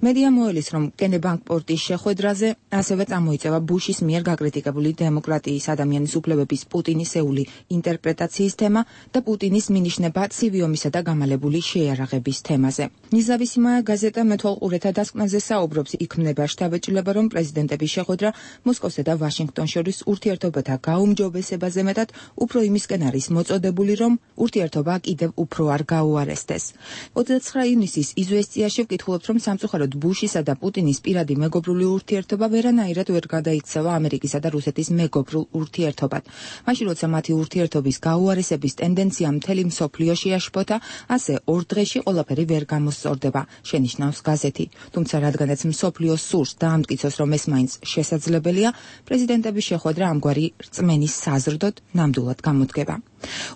მედია მოელის, რომ კენე ბანკპორტის შეხვედრაზე ასევე წამოიწევა ბუშის მიერ გაკრიტიკებული დემოკრატიის ადამიანის უფლებების პუტინისეული ინტერპრეტაციის თემა და პუტინის მინიშნება ცივი ომისა და გამალებული შეიარაღების თემაზე. ნიზავისიმაია გაზეტა მეთვალყურეთა დასკვნაზე საუბრობს, იქმნება შთაბეჭდილება, რომ პრეზიდენტების შეხვედრა მოსკოვსა და ვაშინგტონს შორის ურთიერთობათა გაუმჯობესებაზე მეტად უფრო იმისკენ არის მოწოდებული, რომ ურთიერთობა კიდევ უფრო არ გაუარესდეს. ოცდაცხრა ივნისის იზვესტიაში ვკითხულობთ, რომ სამწუხაროდ ბუშისა და პუტინის პირადი მეგობრული ურთიერთობა ვერანაირად ვერ გადაიქცევა ამერიკისა და რუსეთის მეგობრულ ურთიერთობად. მაშინ როცა მათი ურთიერთობის გაუარესების ტენდენცია მთელი მსოფლიოში აშფოთა, ასე ორ დღეში ყველაფერი ვერ გამოსწორდება, შენიშნავს გაზეთი. თუმცა რადგანაც მსოფლიოს სურს დაამტკიცოს, რომ ეს მაინც შესაძლებელია, პრეზიდენტების შეხვედრა ამგვარი რწმენის საზრდოდ ნამდვილად გამოდგება.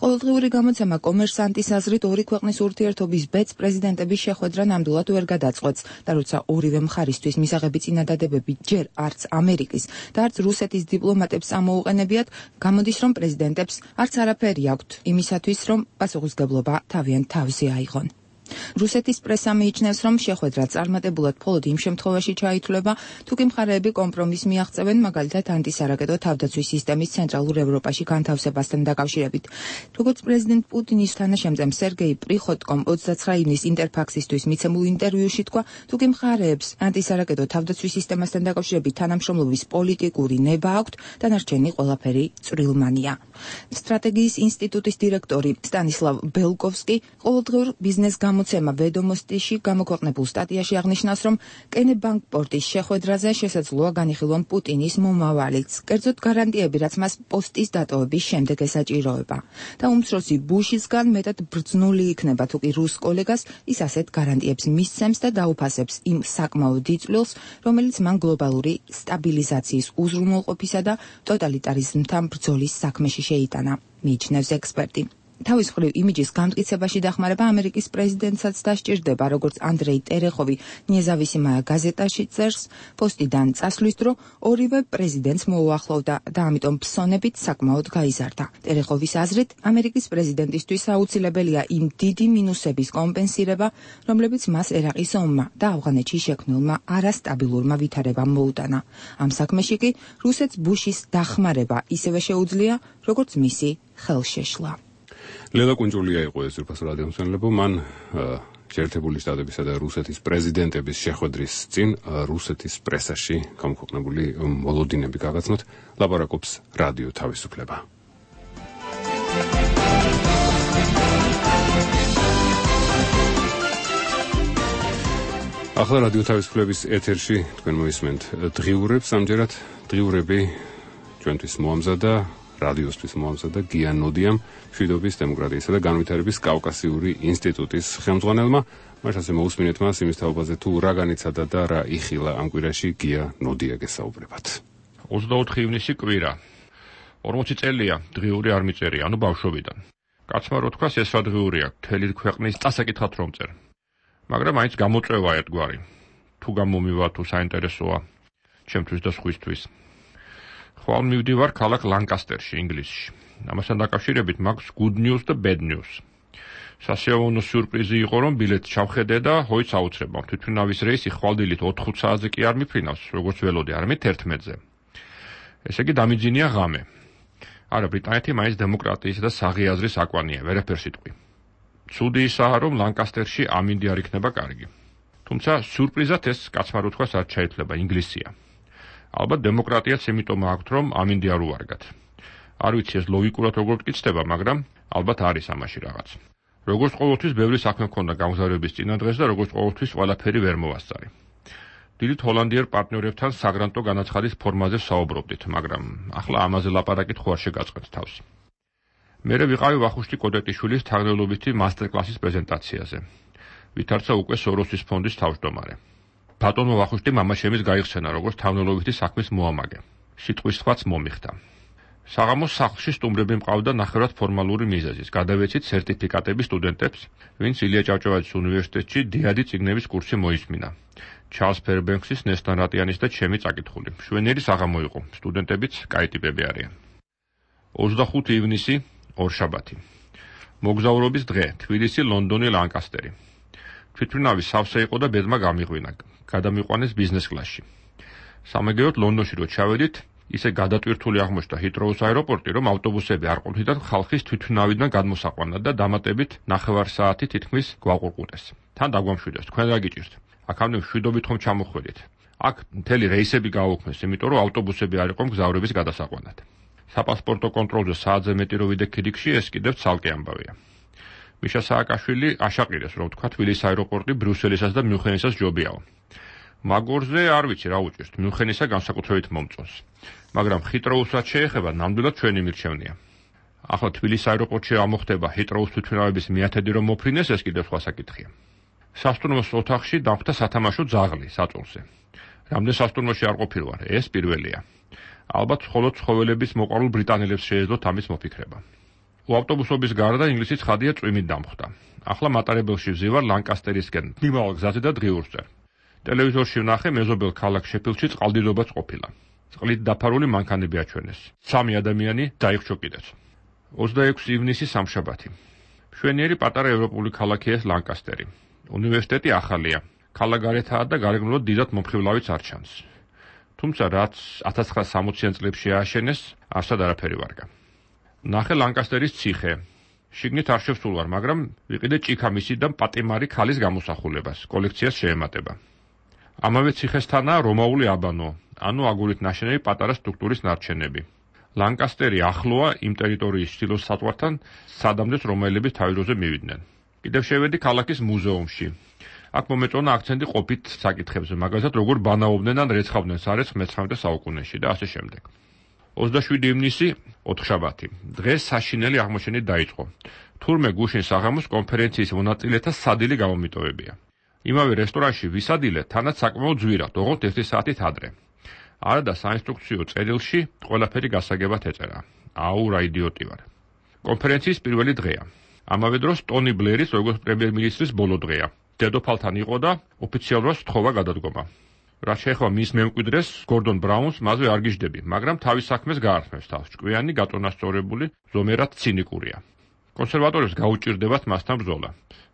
ყოველდღიური გამოცემა კომერსანტის აზრით ორი ქვეყნის ურთიერთობის ბედს პრეზიდენტების შეხვედრა ნამდვილად ვერ გადაწყვეტს და როცა ორივე მხარისთვის მისაღები წინადადებები ჯერ არც ამერიკის და არც რუსეთის დიპლომატებს ამოუყენებიათ, გამოდის, რომ პრეზიდენტებს არც არაფერი აქვთ იმისათვის, რომ პასუხისგებლობა თავიანთ თავზე აიღონ. რუსეთის პრესა მიიჩნევს, რომ შეხვედრა წარმატებულად მხოლოდ იმ შემთხვევაში ჩაითვლება, თუკი მხარეები კომპრომისს მიაღწევენ, მაგალითად ანტისარაკეტო თავდაცვის სისტემის ცენტრალურ ევროპაში განთავსებასთან დაკავშირებით. როგორც პრეზიდენტ პუტინის თანაშემწემ სერგეი პრიხოტკომ ოცდაცხრა ივნისის ინტერფაქსისთვის მიცემულ ინტერვიუში თქვა, თუკი მხარეებს ანტისარაკეტო თავდაცვის სისტემასთან დაკავშირებით თანამშრომლობის პოლიტიკური ნება აქვთ, დანარჩენი ყველაფერი წვრილმანია. სტრატეგიის ინსტიტუტის დირექტორი სტანისლავ ბელკოვსკი ყოველდღიურ ბიზნეს გამოცემა ვედომოსტიში გამოქვეყნებულ სტატიაში აღნიშნავს, რომ კენე ბანკპორტის შეხვედრაზე შესაძლოა განიხილონ პუტინის მომავალიც, კერძოდ გარანტიები, რაც მას პოსტის დატოვების შემდეგ ესაჭიროება. და უმცროსი ბუშისგან მეტად ბრძნული იქნება, თუკი რუს კოლეგას ის ასეთ გარანტიებს მისცემს და დაუფასებს იმ საკმაოდ დიწვრილს, რომელიც მან გლობალური სტაბილიზაციის უზრუნველყოფისა და ტოტალიტარიზმთან ბრძოლის საქმეში შეიტანა, მიიჩნევს ექსპერტი. თავის მხრივ იმიჯის გამტკიცებაში დახმარება ამერიკის პრეზიდენტსაც დასჭირდება, როგორც ანდრეი ტერეხოვი ნეზავისიმაია გაზეტაში წერს, პოსტიდან წასვლის დრო ორივე პრეზიდენტს მოუახლოვდა და ამიტომ ფსონებით საკმაოდ გაიზარდა. ტერეხოვის აზრით, ამერიკის პრეზიდენტისთვის აუცილებელია იმ დიდი მინუსების კომპენსირება, რომლებიც მას ერაყის ომმა და ავღანეთში შექმნილმა არასტაბილურმა ვითარებამ მოუტანა. ამ საქმეში კი რუსეთს ბუშის დახმარება ისევე შეუძლია, როგორც მისი ხელშეშლა. ლელა კუნჯულია იყო ეს ზურბაზ რადიოსმენელებო, მან შეერთებული შტატებისა და რუსეთის პრეზიდენტების შეხვედრის წინ რუსეთის პრესაში გამოქვეყნებული მოლოდინები გაგაცნოთ, ლაპარაკობს რადიო თავისუფლება. ახლა რადიო თავისუფლების ეთერში თქვენ მოისმენთ დღიურებს, ამჯერად დღიურები ჩვენთვის მოამზადა რადიოსთვის მოამზადა გია ნოდიამ, მშვიდობის, დემოკრატიისა და განვითარების კავკასიური ინსტიტუტის ხელმძღვანელმა. მას ასე მოусმინეთ მას იმის თაობაზე, თუ რა განიცადა და რა იხილა ამ კვირაში, გია ნოდია გესაუბრებათ. ოცდაოთხი ივნისი კვირა. ორმოცი წელია დღიური არ მიწერია, ანუ ბავშვობიდან. კაცმა რო თქვას, ეს რა დღიურია, მთელი ქვეყნის წასაკითხად რომ წერ. მაგრამ მაინც გამოწვევა ერთგვარი. თუ გამომივა, თუ საინტერესოა, ჩემთვის და სხვისთვის. ხვალ მივდივარ ქალაქ ლანკასტერში, ინგლისში. ამასთან დაკავშირებით მაქვს good news და bad news. სასიამოვნო სიურპრიზი იყო, რომ ბილეთი ჩავხედე და ჰოიც აუცრებამ. თვითმფრინავის რეისი ხვალდილით ოთხ საათზე კი არ მიფრინავს, როგორც ველოდი, არამედ ერთმეტზე. ესე იგი დამიძინია ღამე. არა, ბრიტანეთი მაინც დემოკრატიის და საღიაზრის აკვანია, ვერაფერს იტყვი. ცუდი ისაა, რომ ლანკასტერში ამინდი არ იქნება კარგი. თუმცა სიურპრიზად ეს კაცმა რო თქვას არ ჩაითვლება, ინგლისია. ალბათ დემოკრატიაც იმიტომ აქვთ, რომ ამინდი არ უარგათ. არ ვიცი ეს ლოგიკურად როგორ გწდება, მაგრამ ალბათ არის ამაში რაღაც. როგორც ყოველთვის ბევრი საქმე მქონდა გამგზავრების წინადღეს და როგორც ყოველთვის ყველაფერი ვერ მოვასწარი. დილით ჰოლანდიელ პარტნიორებთან საგრანტო განაცხადის ფორმაზე საუბრობდით, მაგრამ ახლა ამაზე ლაპარაკით ხო არ შეგაწყეთ თავს. მერე ვიყავი ვახუშტი კოდეტიშვილის თარგმნელობითი მასტერკლასის პრეზენტაციაზე. ვითარცა უკვე სოროსის ფონდის თავმჯდომარე. ბატონო ვახუშტი მამაშემის გაიხსენა როგორც თარგმნელობითი საქმის მოამაგე. სიტყვის სხვაც მომიხდა. საღამოს სახლში სტუმრები მყავდა ნახევრად ფორმალური მიზეზის. გადავეცით სერტიფიკატები სტუდენტებს, ვინც ილია ჭავჭავაძის უნივერსიტეტში დიადი წიგნების კურსი მოისმინა. ჩარლს ფერბენქსის, ნესტან რატიანის და ჩემი წაკითხული. მშვენიერი საღამო იყო. სტუდენტებიც კაი ტიპები არიან. ოცდახუთი ივნისი, ორშაბათი. მოგზაურობის დღე, თბილისი, ლონდონი, ლანკასტერი. თვითმფრინავი სავსე იყო და ბედმა გამიღვინა. გადამიყვანეს ბიზნეს კლასში. სამაგეროდ ლონდონში რო ჩავედით, ისე გადატვირთული აღმოჩნდა ჰიტროუს აეროპორტი, რომ ავტობუსები არ ყოფილიდან ხალხის თვითმფრინავიდან გადმოსაყვანად და დამატებით ნახევარ საათი თითქმის გვაყურყურეს. თან დაგვამშვიდეს, თქვენ რა გიჭირთ? აქამდე მშვიდობით ხომ ჩამოხვედით. აქ მთელი რეისები გააუქმეს, იმიტომ რომ ავტობუსები არ იყო მგზავრების გადასაყვანად. საპასპორტო კონტროლზე საათზე მეტი რო ვიდე ქიდიქში, ეს კიდევ ცალკე ამბავია. მიშა სააკაშვილი აშაყირეს, რომ თქვა თბილისის აეროპორტი ბრიუსელისას და მიუნხენისას ჯობიაო. მაგორზე არ ვიცი რა უჭირთ, მიუნხენისა განსაკუთრებით მომწონს. მაგრამ ჰიტროუსაც შეეხება, ნამდვილად ჩვენი მირჩევნია. ახლა თბილისის აეროპორტში ამოხდება ჰიტროუს თვითმფრინავების მიათედი რომ მოფრინეს, ეს კიდევ სხვა საკითხია. სასტუმროს ოთახში დამხდა სათამაშო ძაღლი საწოლზე. რამდენ სასტუმროში არ ყოფილვარ, ეს პირველია. ალბათ მხოლოდ ცხოველების მოყვარულ ბრიტანელებს შეეძლოთ ამის მოფიქრება. ავტობუსობის გარდა ინგლისის ხადია წვიმით დამხდა. ახლა მატარებელში ვზივარ ლანკასტერისკენ, მიმავალ გზაზე და დღიურს წერ. ტელევიზორში ვნახე მეზობელ ქალაქ შეფილდში წყალდიდობაც ყოფილა. წყლით დაფარული მანქანები აჩვენეს. სამი ადამიანი დაიხრჩო კიდეც. ოცდაექვსი ივნისი სამშაბათი. მშვენიერი პატარა ევროპული ქალაქია ეს ლანკასტერი. უნივერსიტეტი ახალია. ქალაქგარეთაა და გარეგნულად დიდად მომხიბლავიც არ ჩანს. თუმცა რაც ათას ცხრაასი სამოციან წლებში ააშენეს, არსად არაფერი ვარგა. ნახე ლანკასტერის ციხე. შიგნით არ შევსულვარ, მაგრამ ვიყიდე ჭიქამისი და პატიმარი ქალის გამოსახულებას, კოლექციას შეემატება. ამავე ციხესთანაა რომაული აბანო, ანუ აგურით ნაშენები პატარა სტრუქტურის ნარჩენები. ლანკასტერი ახლოა იმ ტერიტორიის ჩრდილო საზღვართან, სადამდეც რომაელები თავიდროზე მივიდნენ. კიდევ შევედი ქალაქის მუზეუმში. აქ მომეწონა აქცენტი ყოფით საკითხებზე, მაგალითად როგორ ბანაობდნენ ან რეცხავდნენ სარეცხს მეცხრამეტე საუკუნეში და ასე შემდეგ. ოცდაშვიდი ივნისი, ოთხშაბათი. დღეს საშინელი აღმოჩენით დაიწყო. თურმე გუშინ საღამოს კონფერენციის მონაწილეთა სადილი გამომიტოვებია. იმავე რესტორანში ვისადილე თანაც საკმაოდ ძვირად, ოღონდ ერთი საათით ადრე. არა და საინსტრუქციო წერილში ყველაფერი გასაგებად ეწერა. აუ, რა იდიოტი ვარ. კონფერენციის პირველი დღეა. ამავე დროს ტონი ბლერის როგორც პრემიერ-მინისტრის ბოლო დღეა. დედოფალთან იყო და ოფიციალურად სთხოვა გადადგომა. რაც შეეხება მის მემკვიდრეს, გორდონ ბრაუნს, მასზე არ გიждდები, მაგრამ თავის საქმეს გაართმევს თავს. ჭკვიანი, გაწონასწორებული, ზომერად ცინიკურია. კონსერვატორებს გაუჭირდებათ მასთან ბრძოლა.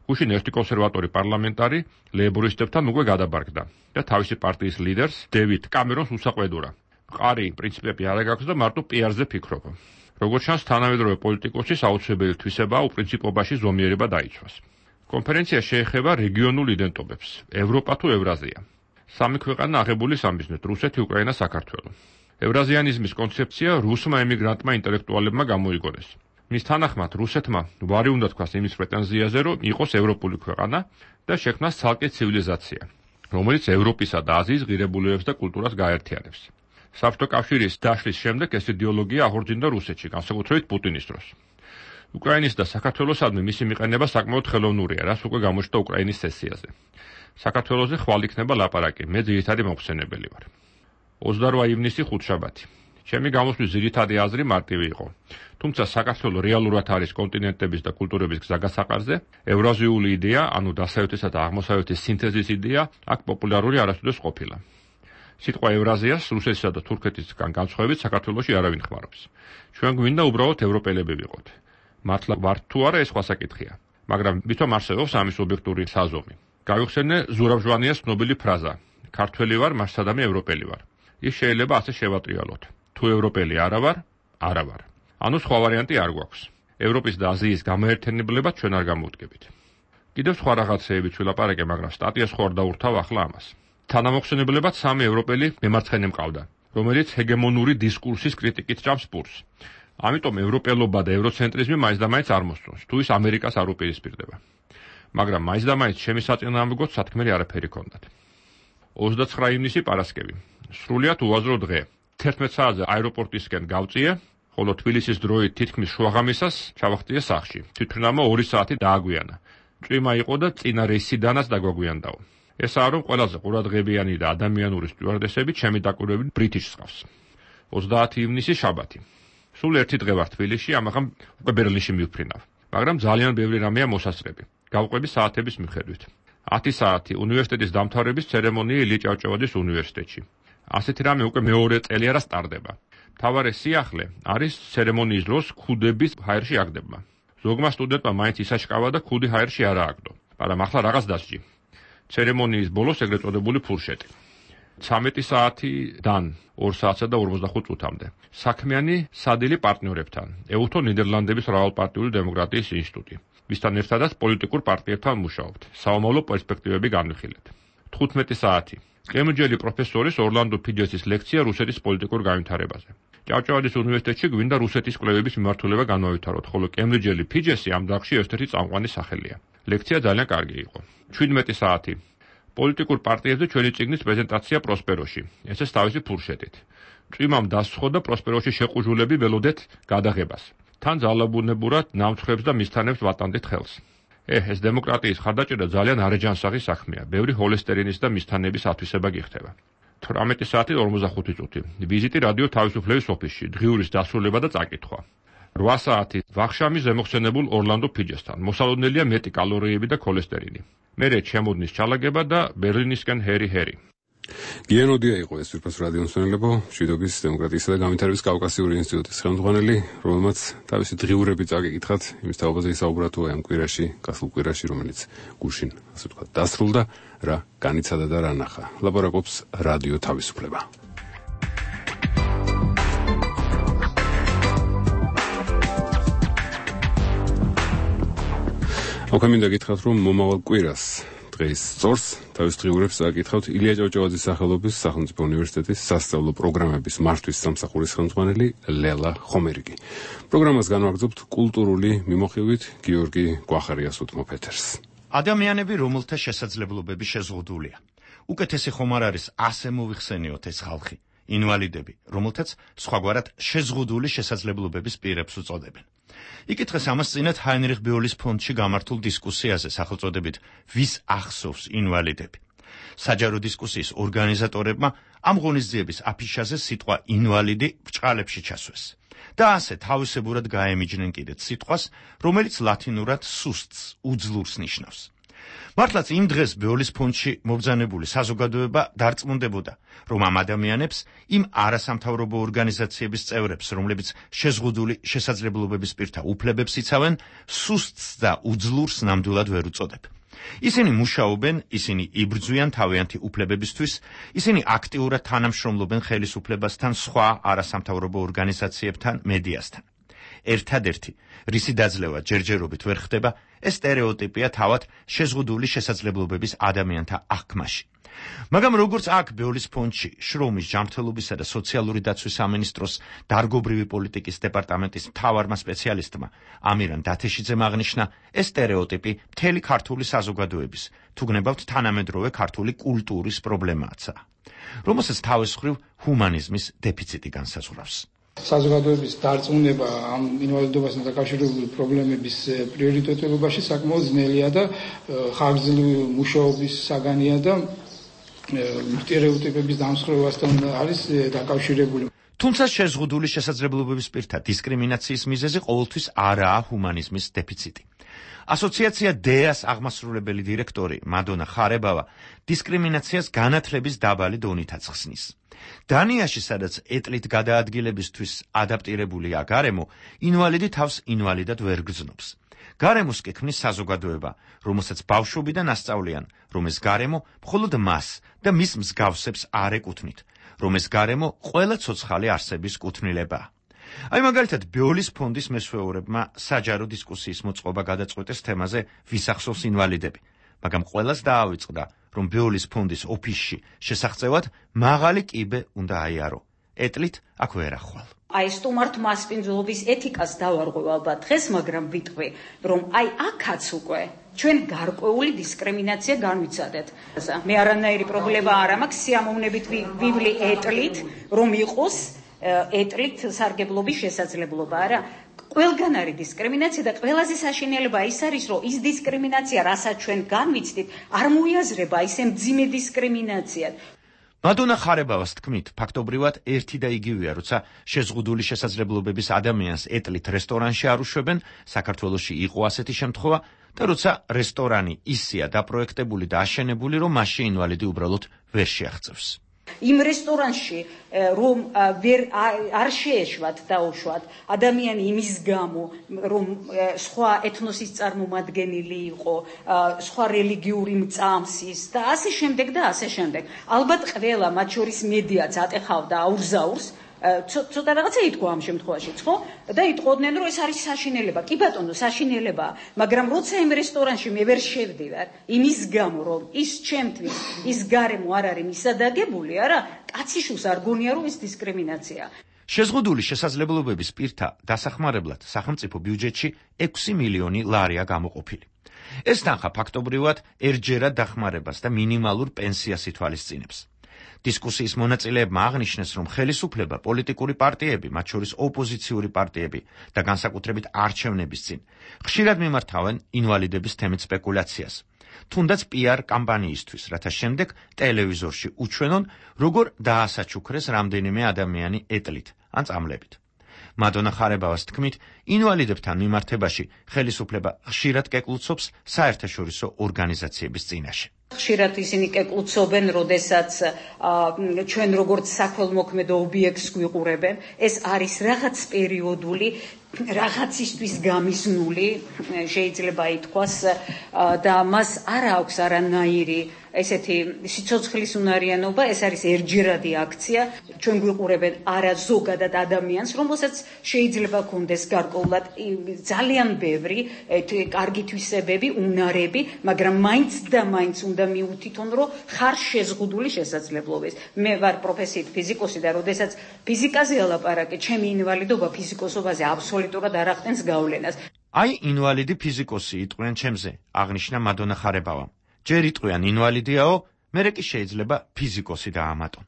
გუშინ ერთი კონსერვატორი პარლამენტარი ლეიბორისტებთან უკვე გადაბარგდა და თავისი პარტიის ლიდერს, დევიდ კამერონს უსაყვედურა. მყარი პრინციპები არ აქვს და მარტო პიარზე ფიქრობ. როგორც ჩანს, თანამედროვე პოლიტიკოსის აუცილებელი თვისებაა უპრინციპობაში ზომიერება დაიცვას. კონფერენცია შეეხება რეგიონულ იდენტობებს, ევროპა თუ ევრაზია. სამი ქვეყანა აღებული სამიზნედ, რუსეთი, უკრაინა, საქართველო. ევრაზიანიზმის კონცეფცია რუსმა ემიგრანტმა ინტელექტუალებმა გამოიგონეს. მის თანახმად რუსეთმა ვარი უნდა თქვას იმის პრეტენზიაზე, რომ იყოს ევროპული ქვეყანა და შექმნას ცალკე ცივილიზაცია, რომელიც ევროპისა და აზიის ღირებულებებს და კულტურას გააერთიანებს. საბჭოთა კავშირის დაშლის შემდეგ ეს იდეოლოგია აღორძინდა რუსეთში, განსაკუთრებით პუტინის დროს. უკრაინის და საქართველოსადმი მისი მიყენება საკმაოდ ხელოვნურია, რაც უკვე გამოჩნდა უკრაინის სესიაზე. საქართველოზე ხვალ იქნება ლაპარაკი, მე ძირითადი მომხსენებელი ვარ. ოცდარვა ივნისი, ხუთშაბათი. ჩემი გამოსვლის ძირითადი აზრი მარტივი იყო. თუმცა საქართველო რეალურად არის კონტინენტების და კულტურების გზაგასაყარზე, ევრაზიული იდეა, ანუ დასავლეთისა და აღმოსავლეთის სინთეზის იდეა, აქ პოპულარული არასოდეს ყოფილა. სიტყვა ევრაზიას რუსეთსა და თურქეთისგან განსხვავებით საქართველოში არავინ ხმარობს. ჩვენ გვინდა უბრალოდ ევროპელები ვიყოთ. მართლა ვართ თუ არა ეს სხვა საკითხია. მაგრამ ვითომ არსებობს ამის ობიექტური საზომი. გავიხსენე ზურაბ-ჟვანიას ცნობილი ფრაზა: ქართველი ვარ, მას სადამე ევროპელი ვარ. ის შეიძლება ასე შევატრიალოთ. თუ ევროპელი არა ვარ, არა ვარ. ანუ სხვა ვარიანტი არ გვაქვს. ევროპის და აზიის გამოერთიანებლებად ჩვენ არ გამოვდგებით. კიდევ სხვა რაღაცეებიც ვილაპარაკე, მაგრამ სტატიას ხوار დაურთავ ახლა ამას. თანამოხსენებლებად სამი ევროპელი მემარცხენე მყავდა, რომელიც ჰეგემონური დისკურსის კრიტიკით ჭამს პურს. ამიტომ ევროპელობა და ევროცენტრიზმი მაინც და მაინც არ მოსწონს, თუ ის ამერიკას არ უპირისპირდება. მაგრამ მაინც და მაინც ჩემი საწინააღმდეგოდ სათქმელი არაფერი ჰქონდათ. ოცდაცხრა ივნისი პარასკევი. სრულიად უაზრო დღე. თერთმეტ საათზე აეროპორტისკენ გავწიე, ხოლო თბილისის დროით თითქმის შუაღამისას ჩავახტიე სახლში. თვითმფრინავმა ორი საათი დააგვიანა. წვიმა იყო და წინა რეისიდანაც დაგვაგვიანდაო. ესაა რომ ყველაზე ყურადღებიანი და ადამიანური სტიუარდესები ჩემი დაკვირვებით ბრიტიშს ყავს. ოცდაათი ივნისი შაბათი. სულ ერთი დღე ვარ თბილისში, ამაღამ უკვე ბერლინში მივფრინავ. მაგრამ ძალიან ბევრი რამეა მოსასწრები. გავყვები საათების მიხედვით. ათი საათი უნივერსიტეტის დამთავრების ცერემონია ილია ჭავჭავაძის უნივერსიტეტში. ასეთი რამე უკვე მეორე წელი არა სტარდება. მთავარი სიახლე არის ცერემონიის დროს ქუდების ჰაერში აგდება. ზოგმა სტუდენტმა მაინც ისაშკავა და ქუდი ჰაერში არა აგდო. მაგრამ ახლა რაღაც დასჯი. ცერემონიის ბოლოს ეგრეთ წოდებული ფურშეტი. ცამეტი საათიდან ორ საათსა და ორმოცდახუთ წუთამდე. საქმიანი სადილი პარტნიორებთან, ეუთო ნიდერლანდების მრავალპარტიული დემოკრატიის ინსტიტუტი. მისთან ერთადაც პოლიტიკურ პარტიებთან მუშაობთ. საომავლო პერსპექტივები განვიხილეთ. თხუთმეტი საათი. კემბრიჯელი პროფესორის ორლანდო ფიჯესის ლექცია რუსეთის პოლიტიკურ განვითარებაზე. ჭავჭავაძის უნივერსიტეტში გვინდა რუსეთის კვლევების მიმართულება განვავითაროთ, ხოლო კემბრიჯელი ფიჯესი ამ დარგში ერთ-ერთი წამყვანი სახელია. ლექცია ძალიან კარგი იყო. შვიდმეტი საათი. პოლიტიკურ პარტიებზე ჩვენი წიგნის პრეზენტაცია პროსპეროში. ესეც თავისი ფურშეტით. წვიმამ დასცხო და პროსპეროში შეყუჟულები ველოდეთ გადაღებას. თან ძალაბუნებურად ნამცხრებს და მისთანებს ვატანდით ხელს. ეჰ, ეს დემოკრატიის ხარდაჭერა ძალიან არეჯანსაღი საქმეა. ბევრი ჰოლესტერინის და მისთანების ათვისება გიხდება. თვრამეტი საათი ორმოცდახუთი წუთი. ვიზიტი რადიო თავისუფლების ოფისში, დღიურის დასრულება და წაკითხვა. რვა საათი ვახშამი ზემოხსენებულ ორლანდო ფიჯესთან. მოსალოდნელია მეტი კალორიები და ქოლესტერინი. მერე ჩემოდნის ჩალაგება და ბერლინისკენ ჰერი ჰერი. გიანოდია იყო ეს ვირფას რადიო მსმენელებო, მშვიდობის, დემოკრატიისა და განვითარების კავკასიური ინსტიტუტის ხელმძღვანელი, რომელმაც თავისი დღიურები წაგიკითხათ, იმის თაობაზე ისაუბრა თუ ამ კვირაში, გასულ კვირაში, რომელიც გუშინ, ასე ვთქვათ, დასრულდა, რა განიცადა და რა ნახა. ლაპარაკობს რადიო თავისუფლება. ოქა მინდა გითხრათ, რომ მომავალ კვირას დღეს სწორს თავის დღიურებს აკითხავთ ილია ჭავჭავაძის სახელობის სახელმწიფო უნივერსიტეტის სასწავლო პროგრამების მართვის სამსახურის ხელმძღვანელი ლელა ხომერიგი. პროგრამას განვაგრძობთ კულტურული მიმოხილვით გიორგი გვახარიას უთმოფეთერს. ადამიანები, რომელთა შესაძლებლობები შეზღუდულია. უკეთესი ხომ არ არის ასე მოვიხსენიოთ ეს ხალხი, ინვალიდები, რომელთაც სხვაგვარად შეზღუდული შესაძლებლობების პირებს უწოდებენ. იკითხეს ამას წინათ ჰაინრიხ ბიოლის ფონდში გამართულ დისკუსიაზე სახელწოდებით ვის ახსოვს ინვალიდები. საჯარო დისკუსიის ორგანიზატორებმა ამ ღონისძიების აფიშაზე სიტყვა ინვალიდი ბრჭყალებში ჩასვეს და ასე თავისებურად გაემიჯნენ კიდეც სიტყვას, რომელიც ლათინურად სუსტს, უძლურს ნიშნავს. მართლაც იმ დღეს ბიოლის ფონდში მობრძანებული საზოგადოება დარწმუნდებოდა, რომ ამ ადამიანებს, იმ არასამთავრობო ორგანიზაციების წევრებს, რომლებიც შეზღუდული შესაძლებლობების პირთა უფლებებს იცავენ, სუსტს და უძლურს ნამდვილად ვერ უწოდებ. ისინი მუშაობენ, ისინი იბრძვიან თავიანთი უფლებებისთვის, ისინი აქტიურად თანამშრომლობენ ხელისუფლებასთან, სხვა არასამთავრობო ორგანიზაციებთან, მედიასთან. ერთადერთი, რისი დაძლევა ჯერჯერობით ვერ ხდება, ეს სტერეოტიპია თავად შეზღუდული შესაძლებლობების ადამიანთა აღქმაში. მაგრამ როგორც აქ ბიოლის ფონდში შრომის, ჯანმრთელობისა და სოციალური დაცვის სამინისტროს დარგობრივი პოლიტიკის დეპარტამენტის მთავარმა სპეციალისტმა ამირან დათეშიძემ აღნიშნა, ეს სტერეოტიპი მთელი ქართული საზოგადოების, თუ გნებავთ თანამედროვე ქართული კულტურის პრობლემააცაა, რომელსაც თავის მხრივ ჰუმანიზმის დეფიციტი განსაზღვრავს. საზოგადოების დარწმუნება ამ ინვალიდობასთან დაკავშირებული პრობლემების პრიორიტეტებობაში საკმაოდ ძნელია და ხანგრძლივი მუშაობის საგანია და სტერეოტიპების დამსხვრევასთან არის დაკავშირებული. თუმცა შეზღუდული შესაძლებლობების პირთა დისკრიმინაციის მიზეზი ყოველთვის არაა ჰუმანიზმის დეფიციტი. ასოციაცია დეას აღმასრულებელი დირექტორი მადონა ხარებავა დისკრიმინაციას განათლების დაბალი დონით აცხსნის. დანიაში, სადაც ეტლით გადაადგილებისთვის ადაპტირებულია გარემო, ინვალიდი თავს ინვალიდად ვერ გრძნობს. გარემოს კი ქმნის საზოგადოება, რომელსაც ბავშვობიდან ასწავლიან, რომ ეს გარემო მხოლოდ მას და მის მსგავსებს არ ეკუთვნით, რომ ეს გარემო ყველა ცოცხალი არსების კუთვნილებაა. აი მაგალითად, ბიოლის ფონდის მესვეურებმა საჯარო დისკუსიის მოწყობა გადაწყვეტეს თემაზე ვის ახსოვს ინვალიდები, მაგრამ ყველას დაავიწყდა, რომ ბიოლის ფონდის ოფისში შესახწევად მაღალი კიბე უნდა აიარო. ეტლით აქ ვერ ახვალ. აი სტუმართ მასპინძლობის ეთიკას დავარღვევ ალბათ დღეს, მაგრამ ვიტყვი, რომ აი აქაც უკვე ჩვენ გარკვეული დისკრიმინაცია განვიცადეთ. მე არანაირი პრობლემა არ მაქვს სიამოვნებით ვივლი ეტლით, რომ იყოს ეტლით სარგებლობის შესაძლებლობა, არა? ყველგან არის დისკრიმინაცია და ყველაზე საშინელება ის არის, რომ ის დისკრიმინაცია, რასაც ჩვენ განვიცდით, არ მოიაზრება ისე მძიმე დისკრიმინაციად. მადონა ხარებავას თქმით, ფაქტობრივად ერთი და იგივეა, როცა შეზღუდული შესაძლებლობების ადამიანს ეტლით რესტორანში არ უშვებენ, საქართველოში იყო ასეთი შემთხვევა, და როცა რესტორანი ისეა დაპროექტებული და აშენებული, რომ მასში ინვალიდი უბრალოდ ვერ შეაღწევს. იმ რესტორანში რომ ვერ არ შეეშვათ დაუშვათ ადამიანი იმის გამო, რომ სხვა ეთნოსის წარმომადგენელი იყო, სხვა რელიგიური მწამსის და ასე შემდეგ და ასე შემდეგ. ალბათ ყველა, მათ შორის მედიაც ატეხავდა აურზაურს, ცოტა რაღაცა ითქვა ამ შემთხვევაში, ხო? და იტყოდნენ, რომ ეს არის საშინელება. კი ბატონო, საშინელებაა, მაგრამ როცა იმ რესტორანში მე ვერ შევდივარ, იმის გამო, რომ ის ჩემთვის ის გარემო არ არის მისადაგებული, არა, კაციშვილს არ გონია, რომ ეს დისკრიმინაციაა. შეზღუდული შესაძლებლობების პირთა დასახმარებლად სახელმწიფო ბიუჯეტში ექვსი მილიონი ლარია გამოყოფილი. ეს თანხა ფაქტობრივად ერთჯერად დახმარებას და მინიმალურ პენსიას ითვალისწინებს. დისკუსიის მონაწილეებმა აღნიშნეს, რომ ხელისუფლება, პოლიტიკური პარტიები, მათ შორის ოპოზიციური პარტიები და განსაკუთრებით არჩევნების წინ ხშირად მიმართავენ ინვალიდების თემით სპეკულაციას, თუნდაც პიარ კამპანიისთვის, რათა შემდეგ ტელევიზორში უჩვენონ, როგორ დაასაჩუქრეს რამდენიმე ადამიანი ეტლით ან წამლებით. მადონა ხარებავას თქმით, ინვალიდებთან მიმართებაში ხელისუფლება ხშირად კეკლუცობს საერთაშორისო ორგანიზაციების წინაშე. ხშირად ისინი კეკლუცობენ, როდესაც ჩვენ როგორც საქველმოქმედო ობიექტს გვიყურებენ, ეს არის რაღაც პერიოდული, რაღაცისთვის გამიზნული, შეიძლება ითქვას, და მას არ აქვს არანაირი ესეთი სიცოცხლის უნარიანობა, ეს არის ერთჯერადი აქცია, ჩვენ გვიყურებენ არა ზოგადად ადამიანს, რომელსაც შეიძლება ქონდეს გარკვეულად ძალიან ბევრი კარგი თვისებები, უნარები, მაგრამ მაინც და მაინც უნდა მიუთითონ, რომ ხარ შეზღუდული შესაძლებლობების. მე ვარ პროფესიით ფიზიკოსი და როდესაც ფიზიკაზე ალაპარაკე, ჩემი ინვალიდობა ფიზიკოსობაზე აბსოლუტურად არ ახდენს გავლენას. აი ინვალიდი ფიზიკოსი იტყვიან ჩემზე, აღნიშნა მადონა ხარებავა. ჯერ იტყვიან ინვალიდიაო, მერე კი შეიძლება ფიზიკოსი დაამატონ.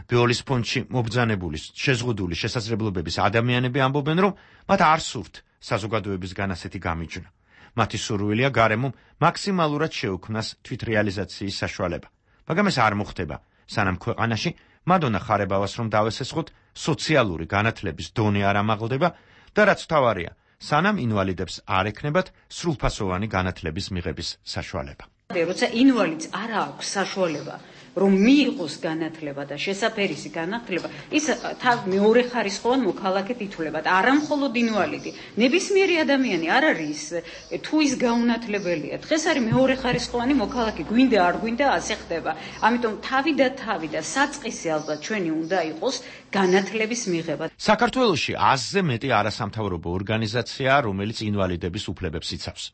ბიოლის ფონდში მობრძანებული შეზღუდული შესაძლებლობების ადამიანები ამბობენ, რომ მათ არ სურთ საზოგადოებისგან ასეთი გამიჯვნა. მათი სურვილია გარემომ მაქსიმალურად შეუქმნას თვითრეალიზაციის საშუალება. მაგრამ ეს არ მოხდება, სანამ ქვეყანაში მადონა ხარებავას რომ დავესესხოთ, სოციალური განათლების დონე არ ამაღლდება და რაც თავარია, სანამ ინვალიდებს არ ექნებათ სრულფასოვანი განათლების მიღების საშუალება. როცა ინვალიდს არ აქვს საშუალება, რომ მიიღოს განათლება და შესაფერისი განათლება, ის თავ მეორე ხარისხოვან მოქალაქედ ითვლება და არა მხოლოდ ინვალიდი. ნებისმიერი ადამიანი არ არის თუ ის გაუნათლებელია. დღეს არის მეორე ხარისხოვანი მოქალაქე, გვინდა არ გვინდა ასე ხდება. ამიტომ თავი და თავი და საწყისი ალბათ ჩვენი უნდა იყოს განათლების მიღება. საქართველოში ათზე მეტი არასამთავრობო ორგანიზაციაა, რომელიც ინვალიდების უფლებებს იცავს.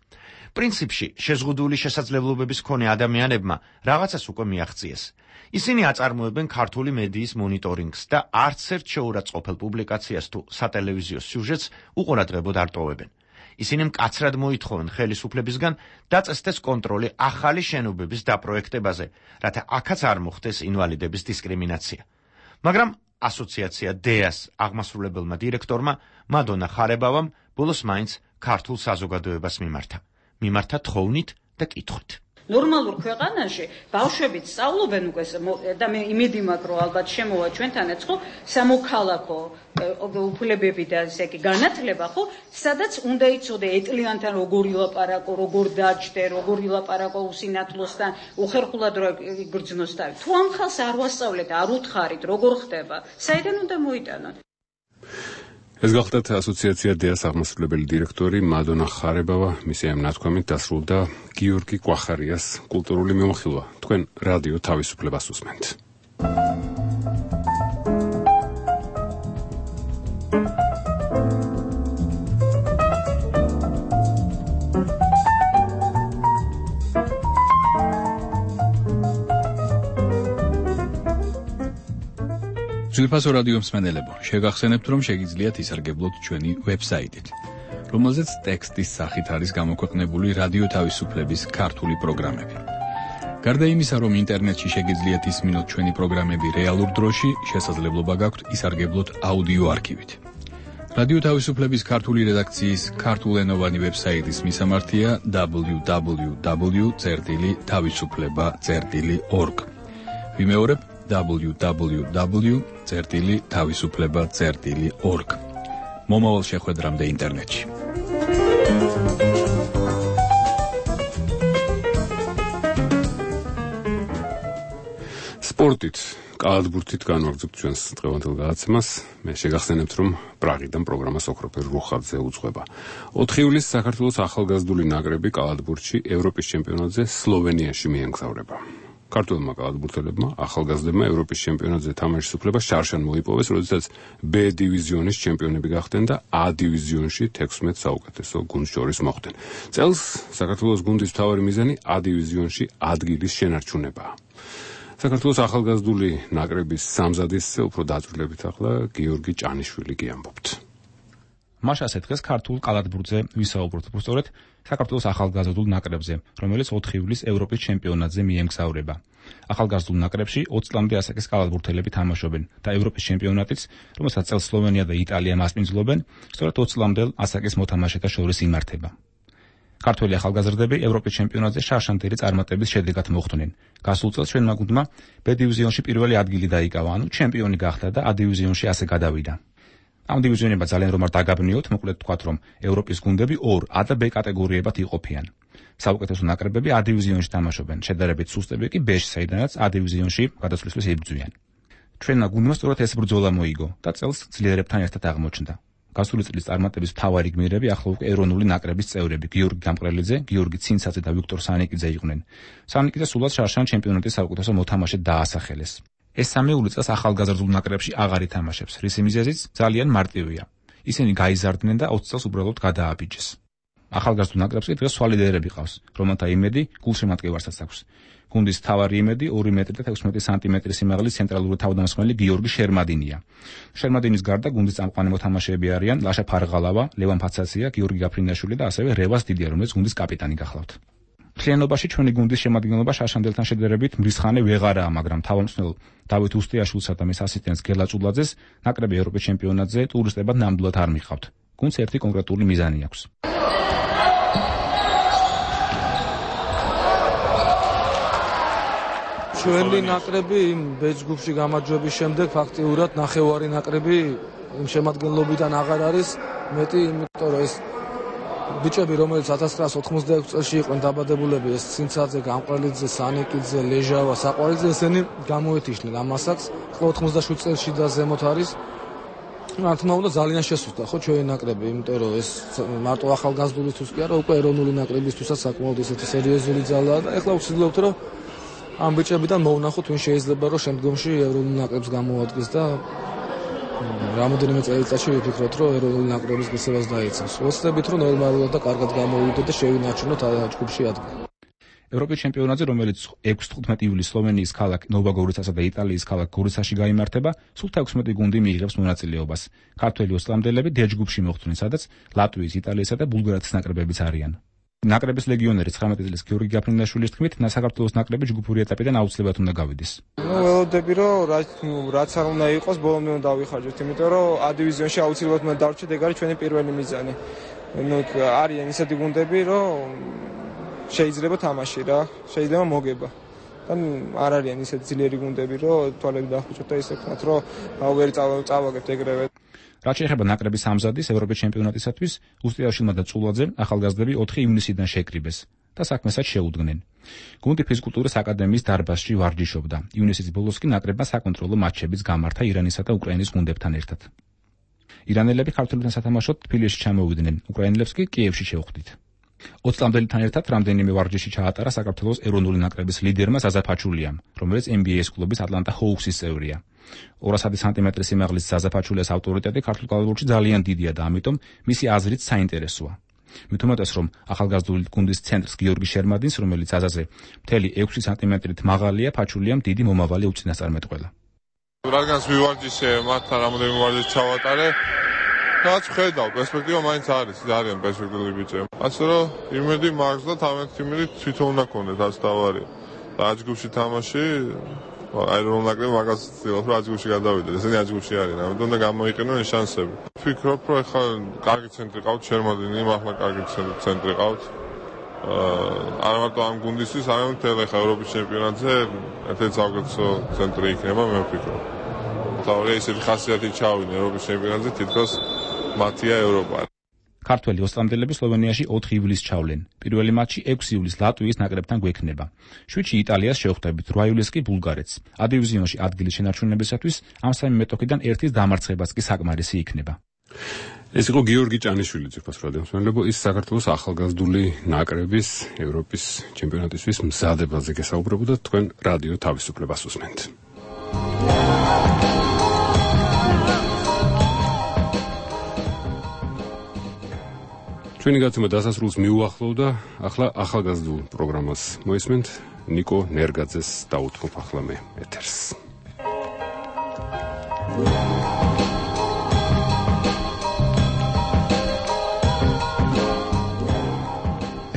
პრინციპში შეზღუდული შესაძლებლობების მქონე ადამიანებმა რაღაცას უკვე მიაღწიეს. ისინი აწარმოებენ ქართული მედიის მონიტორინგს და არც ერთ შეურაცხყოფელ პუბლიკაციას თუ სატელევიზიო სიუჟეტს უყურადღებოდ არ ტოვებენ. ისინი მკაცრად მოითხოვენ ხელისუფლებისგან დაწესდეს კონტროლი ახალი შენობების დაპროექტებაზე, რათა აქაც არ მოხდეს ინვალიდების დისკრიმინაცია. მაგრამ ასოციაცია დეას აღმასრულებელმა დირექტორმა მადონა ხარებავამ ბოლოს მაინც ქართულ საზოგადოებას მიმართა. მიმართა თხოვნით და კითხვით. ნორმალურ ქვეყანაში ბავშვებიც სწავლობენ უკვე და მე იმედი მაქვს რომ ალბათ შემოვა ჩვენთანაც ხო სამოქალაქო უფლებები და ესე იგი განათლება ხო სადაც უნდა იცოდე ეტლიანთან როგორ ილაპარაკო როგორ დაჯდე როგორ ილაპარაკო უსინათლოსთან უხერხულად რო იგრძნოს თავი თუ ამ ხალხს არ ვასწავლეთ არ უთხარით როგორ ხდება საიდან უნდა მოიტანოთ ეს გახლდათ ასოციაცია დეას აღმასრულებელი დირექტორი მადონა ხარებავა მისი ამ ნათქვამით დასრულდა გიორგი კვახარიას კულტურული მიმოხილვა თქვენ რადიო თავისუფლებას უსმენთ ძვირფასო რადიო მსმენელებო, შეგახსენებთ, რომ შეგიძლიათ ისარგებლოთ ჩვენი ვებსაიტით, რომელზეც ტექსტის სახით არის გამოქვეყნებული რადიო თავისუფლების ქართული პროგრამები. გარდა იმისა, რომ ინტერნეტში შეგიძლიათ ისმინოთ ჩვენი პროგრამები რეალურ დროში, შესაძლებლობა გაქვთ ისარგებლოთ აუდიო არქივით. რადიო თავისუფლების ქართული რედაქციის ქართულენოვანი ვებსაიტის მისამართია double-u double-u double-u წერტილი თავისუფლება წერტილი org. ვიმეორებ double-u double-u double-u წერტილი თავისუფლება წერტილი org. მომავალ შეხვედრამდე ინტერნეტში. სპორტით, კალათბურთით განვაგრძობთ ჩვენს დღევანდელ გადაცემას. მე შეგახსენებთ, რომ პრაღიდან პროგრამას ოქროფერ რუხაძე უძღვება. ოთხი ივლისს საქართველოს ახალგაზრდული ნაკრები კალათბურთში ევროპის ჩემპიონატზე სლოვენიაში მიემგზავრება. ქართველმა კალათბურთელებმა ახალგაზრდებმა ევროპის ჩემპიონატზე თამაშის უფლება შარშან მოიპოვეს, როდესაც B დივიზიონის ჩემპიონები გახდნენ და A დივიზიონში თექვსმეტ საუკეთესო გუნდს შორის მოხვდნენ. წელს საქართველოს გუნდის მთავარი მიზანი A დივიზიონში ადგილის შენარჩუნებაა. საქართველოს ახალგაზრდული ნაკრების სამზადისზე უფრო დაწვრილებით ახლა გიორგი ჭანიშვილი კი ამბობთ. მაშასე დღეს ქართულ კალათბურთზე ვისაუბროთ, უბრალოდ საქართველოს ახალგაზრდულ ნაკრებზე, რომელიც ოთხი ივლისს ევროპის ჩემპიონატზე მიემგზავრება. ახალგაზრდულ ნაკრებში ოცი წლამდე ასაკის კალათბურთელები თამაშობენ და ევროპის ჩემპიონატიც, რომელსაც წელს სლოვენია და იტალია მასპინძლობენ, სწორედ ოცი წლამდელ ასაკის მოთამაშეთა შორის იმართება. ქართველი ახალგაზრდები ევროპის ჩემპიონატზე შარშანტერი წარმატების შედეგად მოხვდნენ. გასულ წელს ჩვენმა გუნდმა B დივიზიონში პირველი ადგილი დაიკავა, ანუ ჩემპიონი გახდა და A დივიზიონში ასე გადავიდა. ამ დივიზიონებად ძალიან რომ არ დაგაბნიოთ, მოკლედ ვთქვათ, რომ ევროპის გუნდები ორ A და B კატეგორიებად იყოფიან. საუკეთესო ნაკრებები A დივიზიონში თამაშობენ, შედარებით სუსტები კი B-ში, საიდანაც A დივიზიონში გადასვლისთვის იბრძვიან. ჩვენმა გუნდმა სწორედ ეს ბრძოლა მოიგო და წელს ძლიერებთან ერთად აღმოჩნდა. გასული წლის წარმატების მთავარი გმირები ახლა უკვე ეროვნული ნაკრების წევრები გიორგი გამყრელიძე, გიორგი ცინცაძე და ვიქტორ სანიკიძე იყვნენ. სანიკიძე სულაც შარშან ჩემპიონატის საუკეთესო მოთამაშედ დაასახელეს. ეს სამეული წელს ახალგაზრდულ ნაკრებში აღარ ითამაშებს, რის მიზეზიც ძალიან მარტივია. ისინი გაიზარდნენ და ოცი წელს უბრალოდ გადააბიჯეს. ახალგაზრდულ ნაკრებს კი დღეს სვალიდერები ყავს, რომელთა იმედი გულშემატკივარსაც აქვს. გუნდის მთავარი იმედი ორი მეტრი და თექვსმეტი სანტიმეტრი სიმაღლის ცენტრალური თავდამსხმელი გიორგი შერმადინია. შერმადინის გარდა გუნდის წამყვანი მოთამაშეები არიან ლაშა ფარღალავა, ლევან ფაცაცია, გიორგი გაფრინდაშვილი და ასევე რევას დიდია, რომელიც გუნდის კაპიტანი გახლავთ. მთლიანობაში ჩვენი გუნდის შემადგენლობა შაშანდელთან შედარებით მრისხანე ვეღარაა, მაგრამ თავმჯდომარე დავით უსტიაშვილსა და მის ასისტენტს გელა ჭულაძეს ნაკრები ევროპის ჩემპიონატზე ტურისტებად ნამდვილად არ მიყავთ. გუნდს ერთი კონკრეტული მიზანი აქვს. ჩვენი ნაკრები იმ ბეჯგუფში გამარჯვების შემდეგ ფაქტიურად ნახევარი ნაკრები იმ შემადგენლობიდან აღარ არის მეტი, იმიტომ რომ ეს ბიჭები, რომელიც ათას ცხრაასი ოთხმოცდაექვსი წელს იყვნენ დაბადებულები, ეს ცინცაძე, გამყრელიძე, სანიკიძე, ლეჟავა, საყვარელიძე, ესენი გამოეთიშნენ ამ ასაკს. ხო ოთხმოცდაშვიდი წელში და ზემოთ არის. რა თქმა უნდა ძალიან შესუსტა ხო ჩვენი ნაკრები, იმიტომ რომ ეს მარტო ახალგაზრდულისთვის კი არა, უკვე ეროვნული ნაკრებისთვისაც საკმაოდ ესეთი სერიოზული ძალაა და ეხლა ვცდილობთ რომ ამ ბიჭებიდან მოვნახოთ ვინ შეიძლება რომ შემდგომში ეროვნულ ნაკრებს გამოადგეს და რამოდენიმე წელიწადში ვიფიქროთ რომ ეროვნული ნაკრების გასებას დაიცავს. ვოცდებით რომ ნორმალურად და კარგად გამოვიდეთ და შევინარჩუნოთ ჯგუფში ადგილი. ევროპის ჩემპიონატზე, რომელიც ექვსი თხუთმეტი ივლისს სლოვენიის ქალაქ ნოვოგოროდცასა და იტალიის ქალაქ გორიცაში გაიმართება, სულ თექვსმეტი გუნდი მიიღებს მონაწილეობას. ქართველი ოცი წლამდელები დ ჯგუფში მოხვდნენ, სადაც ლატვიის, იტალიისა და ბულგარეთის ნაკრებებიც არიან. ნაკრების ლეგიონერი ცხრამეტი წლის გიორგი გაფრინდაშვილის თქმით, საქართველოს ნაკრები ჯგუფური ეტაპიდან აუცილებლად უნდა გავიდეს. ნუ ველოდები რომ რაც არ უნდა იყოს, ბოლომდე უნდა დავიხარჯოთ, იმიტომ რომ A დივიზიონში აუცილებლად უნდა დარჩეთ, ეგ არის ჩვენი პირველი მიზანი. ნუ არიან ისეთი გუნდები, რომ შეიძლება თამაში რა, შეიძლება მოგება. და არ არიან ისეთ ძლიერი გუნდები, რომ თვალები დაახუჭოთ და ისე ვქნათ, რომ ვერ წავაგებთ ეგრევე. რაც შეეხება ნაკრების ამზადის ევროპის ჩემპიონატისათვის, უსტიაშვილმა და წულაძემ ახალგაზრდები ოთხი ივნისიდან შეკრიბეს და საქმესაც შეუდგნენ. გუნდი ფიზკულტურის აკადემიის დარბაზში ვარჯიშობდა. ივნისის ბოლოს კი ნაკრებმა საკონტროლო მატჩებიც გამართა ირანისა და უკრაინის გუნდებთან ერთად. ირანელები ქართველებთან სათამაშოდ თბილისში ჩამოვიდნენ, უკრაინელებს კი კიევში შეხვდით. ოცი წლამდელთან ერთად რამდენიმე ვარჯიში ჩაატარა საქართველოს ეროვნული ნაკრების ლიდერმა ზაზა ფაჩულიამ, რომელიც ენ ბი ეის კლუბის ატლანტა ჰოუქსის წევრია. ორასი სანტიმეტრის სიმაღლის ზაზა ფაჩულიას ავტორიტეტი ქართულ კალათბურთში ძალიან დიდია და ამიტომ მისი აზრით საინტერესოა. მით უმეტეს რომ ახალგაზრდული გუნდის ცენტრს გიორგი შერმადინს, რომელიც აზაზე მთელი ექვსი სანტიმეტრით მაღალია, ფაჩულიამ დიდი მომავალი უწინასწარმეტყველა. რადგანაც მივარჯიშე, მათთან რამოდენიმე ვარჯიში ჩავატარე, რაც ხედავ, პერსპექტივა მაინც არის, ძალიან პერსპექტიული ბიჭები. ასე რომ იმედი მაქვს და თამეთ იმედი თვითონ უნდა გქონდეთ, რაც დავარი. და აჯგუფში თამაში, აი რომ ნაკრები მაგას ცდილობს, რომ აჯგუფში გადავიდეთ. ესენი აჯგუფში არიან, ამიტომ უნდა გამოიყენონ ეს შანსები. ვფიქრობ, რომ ახლა კარგი ცენტრი ყავთ, შერმადინი, ახლა კარგი ცენტრი ყავთ. არა მარტო ამ გუნდისთვის, არამედ მთელ ახლა ევროპის ჩემპიონატზე ერთ-ერთი საუკეთესო ცენტრი იქნება, მე ვფიქრობ. თავი ესეთი ხასიათი ჩავიდნენ ევროპის ჩემპიონატზე, თითქოს მათია ევროპა. ქართველი ოსტრამდელები სლოვენიაში ოთხი ივლისს ჩავლენ. პირველი მატჩი ექვსი ივლისს ლატვიის ნაკრებთან გვექნება. შვიდში იტალიას შევხვდებით, რვა ივლისს კი ბულგარეთს. ადივიზიონში ადგილის შენარჩუნებისათვის ამ სამი მეტოქიდან ერთის დამარცხებაც კი საკმარისი იქნება. ეს იყო გიორგი ჭანიშვილი, ძირფას რადიომსმენელებო, ის საქართველოს ახალგაზრდული ნაკრების ევროპის ჩემპიონატისთვის მზადებაზე გესაუბრებოდა, თქვენ რადიო თავისუფლებას უსმენთ. ჩვენი გაცემა დასასრულს მიუახლოვდა, ახლა ახალგაზრდულ პროგრამას მოისმენთ, ნიკო ნერგაძეს დაუთმობ ახლა მე ეთერს.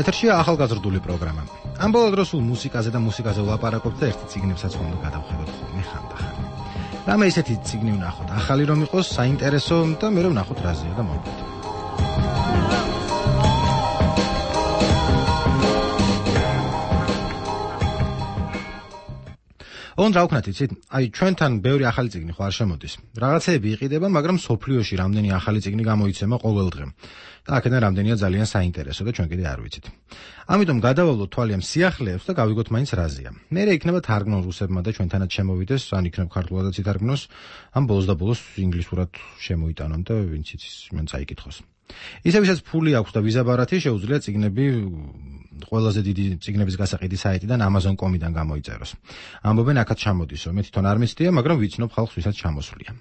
ეთერშია ახალგაზრდული პროგრამა. ამ ბოლო დროს სულ მუსიკაზე და მუსიკაზე ვლაპარაკობთ და ერთი წიგნებსაც ხომ უნდა გადავხედოთ ხოლმე ხანდახან. რამე ისეთი წიგნი ვნახოთ, ახალი რომ იყოს, საინტერესო და მე რომ ვნახოთ რაზეა და მოვიდეთ. ოღონდ რა ვქნათ იცით? აი ჩვენთან ბევრი ახალი წიგნი ხო არ შემოდის. რაღაცეები იყიდება, მაგრამ სოფლიოში რამდენი ახალი წიგნი გამოიცემა ყოველ დღე. და აქედან რამდენია ძალიან საინტერესო და ჩვენ კიდე არ ვიცით. ამიტომ გადავალოთ თვალი ამ სიახლეებს და გავიგოთ მაინც რაზეა. მერე იქნება თარგმნო რუსებმა და ჩვენთანაც შემოვიდეს, ან იქნებ ქართულადაც ითარგმნოს, ამ ბოლოს და ბოლოს ინგლისურად შემოიტანონ და ვინც იცის, მან წაიკითხოს. ისევ ისაც ფული აქვს და ვიზა ბარათი შეუძლია წიგნები ყველაზე დიდი წიგნების გასაყიდი საიტიდან amazon dot com-დან გამოიწეროს. ამბობენ აქაც ჩამოდისო, მე თვითონ არ მიცდია, მაგრამ ვიცნობ ხალხს ვისაც ჩამოსვლია.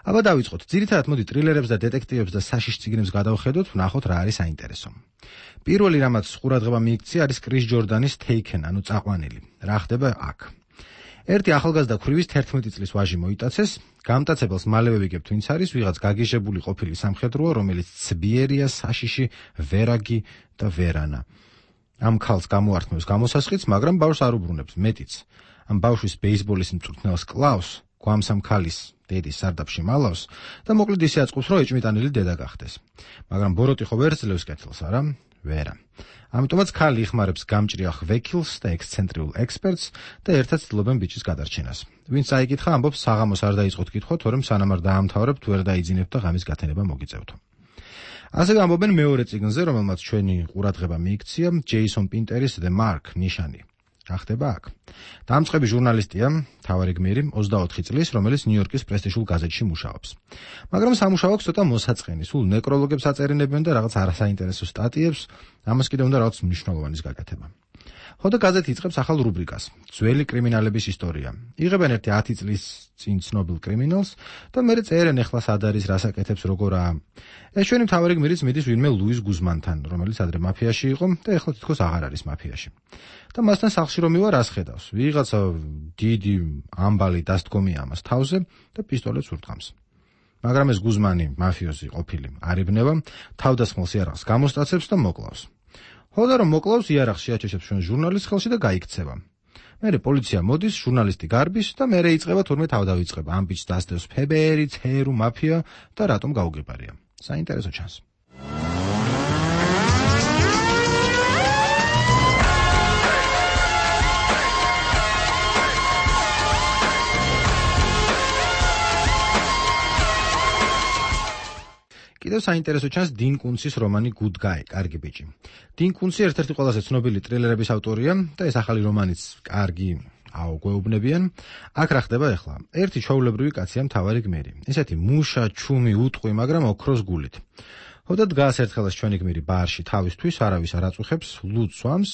აბა დავიწყოთ. ძირითადად მოდი ტრილერებს და დეტექტივებს და საშიშ წიგნებს გადავხედოთ, ვნახოთ რა არის საინტერესო. პირველი რამაც ყურადღება მიიქცია არის კრის ჯორდანის Taken, ანუ წაყვანილი. რა ხდება აქ? ერთი ახალგაზრდა ქვრივის თერთმეტი წლის ვაჟი მოიტაცეს, გამტაცებელს მალევე ვიგებთ ვინც არის, ვიღაც გაგიჟებული ყოფილი სამხედროა, რომელიც ცბიერია, საშიში, ვერაგი და ვერანა. ამ ქალს გამოართმევს გამოსასყიდს, მაგრამ ბავშვს არ უბრუნებს, მეტიც. ამ ბავშვის ბეისბოლის მწვრთნელს კლავს, გვამსამ ქალის დედის სარდაფში მალავს და მოკლედ ისე აწყობს, რომ ეჭმიტანილი დედა გახდეს. მაგრამ ბოროტი ხო ვერ ძლევს კეთილს, არა? ვერა. ამიტომაც ქალი იხმარებს გამჭრიახ ვეკილს და ექსცენტრიულ ექსპერტს და ერთად ცდილობენ ბიჭის გადარჩენას. ვინც წაიკითხა, ამბობს, საღამოს არ დაიწყოთ კითხვა, თორემ სანამ არ დაამთავრებთ, ვერ დაიძინებთ და ღამის გათენება მოგიწევთო. ასე ამბობენ მეორე წიგნზე, რომელმაც ჩვენი ყურადღება მიიქცია, ჯეისონ პინტერის The Mark, ნიშანი. რა ხდება აქ? დამწყები ჟურნალისტია, მთავარი გმირი, ოცდაოთხი წლის, რომელიც ნიუ-იორკის პრესტიჟულ გაზეთში მუშაობს. მაგრამ სამუშაო აქვს ცოტა მოსაწყენი, სულ ნეკროლოგებს აწერინებენ და რაღაც არასაინტერესო სტატიებს, ამას კიდე უნდა რაღაც მნიშვნელოვანის გაკეთება. ხოდა გაზეთი იწყებს ახალ რუბრიკას, ძველი კრიმინალების ისტორია. იღებენ ერთი ათი წლის წინ ცნობილ კრიმინალს და მერე წერენ ეხლა სად არის, რას აკეთებს, როგორაა. ეს ჩვენი მთავარი გმირიც მიდის ვინმე ლუის გუზმანთან, რომელიც ადრე მაფიაში იყო და ეხლა თითქოს აღარ არის მაფიაში. და მასთან სახლში რომ მივა რას ხედავს? ვიღაცა დიდი ამბალი დასდგომია ამას თავზე და პისტოლეტს ურტყამს. მაგრამ ეს გუზმანი, მაფიოზი ყოფილი, არიბნება, თავდასხმელს იარაღს გამოსტაცებს და მოკლავს. ხოდა რომ მოკლავს, იარაღს შეაჩეშებს ჩვენ ჟურნალისტს ხელში და გაიქცევა. მერე პოლიცია მოდის, ჟურნალისტი გარბის და მერე იწყება თურმე თავდავიწყება. ამ ბიჭს დასდევს ფებერი, ცერუ, მაფია და რატომ გაუგებარია. საინტერესო ჩანს. კიდევ საინტერესო ჩანს 딘 კუნცის რომანი Good Guy, კარგი ბიჭი. 딘 კუნცი ერთ-ერთი ყველაზე ცნობილი ტრილერების ავტორია და ეს ახალი რომანიც კარგი აუ გვეუბნებიან. აქ რა ხდება ახლა? ერთი ჩვეულებრივი კაცია მთავარი გმირი. ესეთი მუშა, ჩუმი, უტყვი, მაგრამ ოქროს გულით. ხოდა დგას ერთხელაც ჩვენი გმირი ბარში თავისთვის, არავის არ აწუხებს, ლუდს სვამს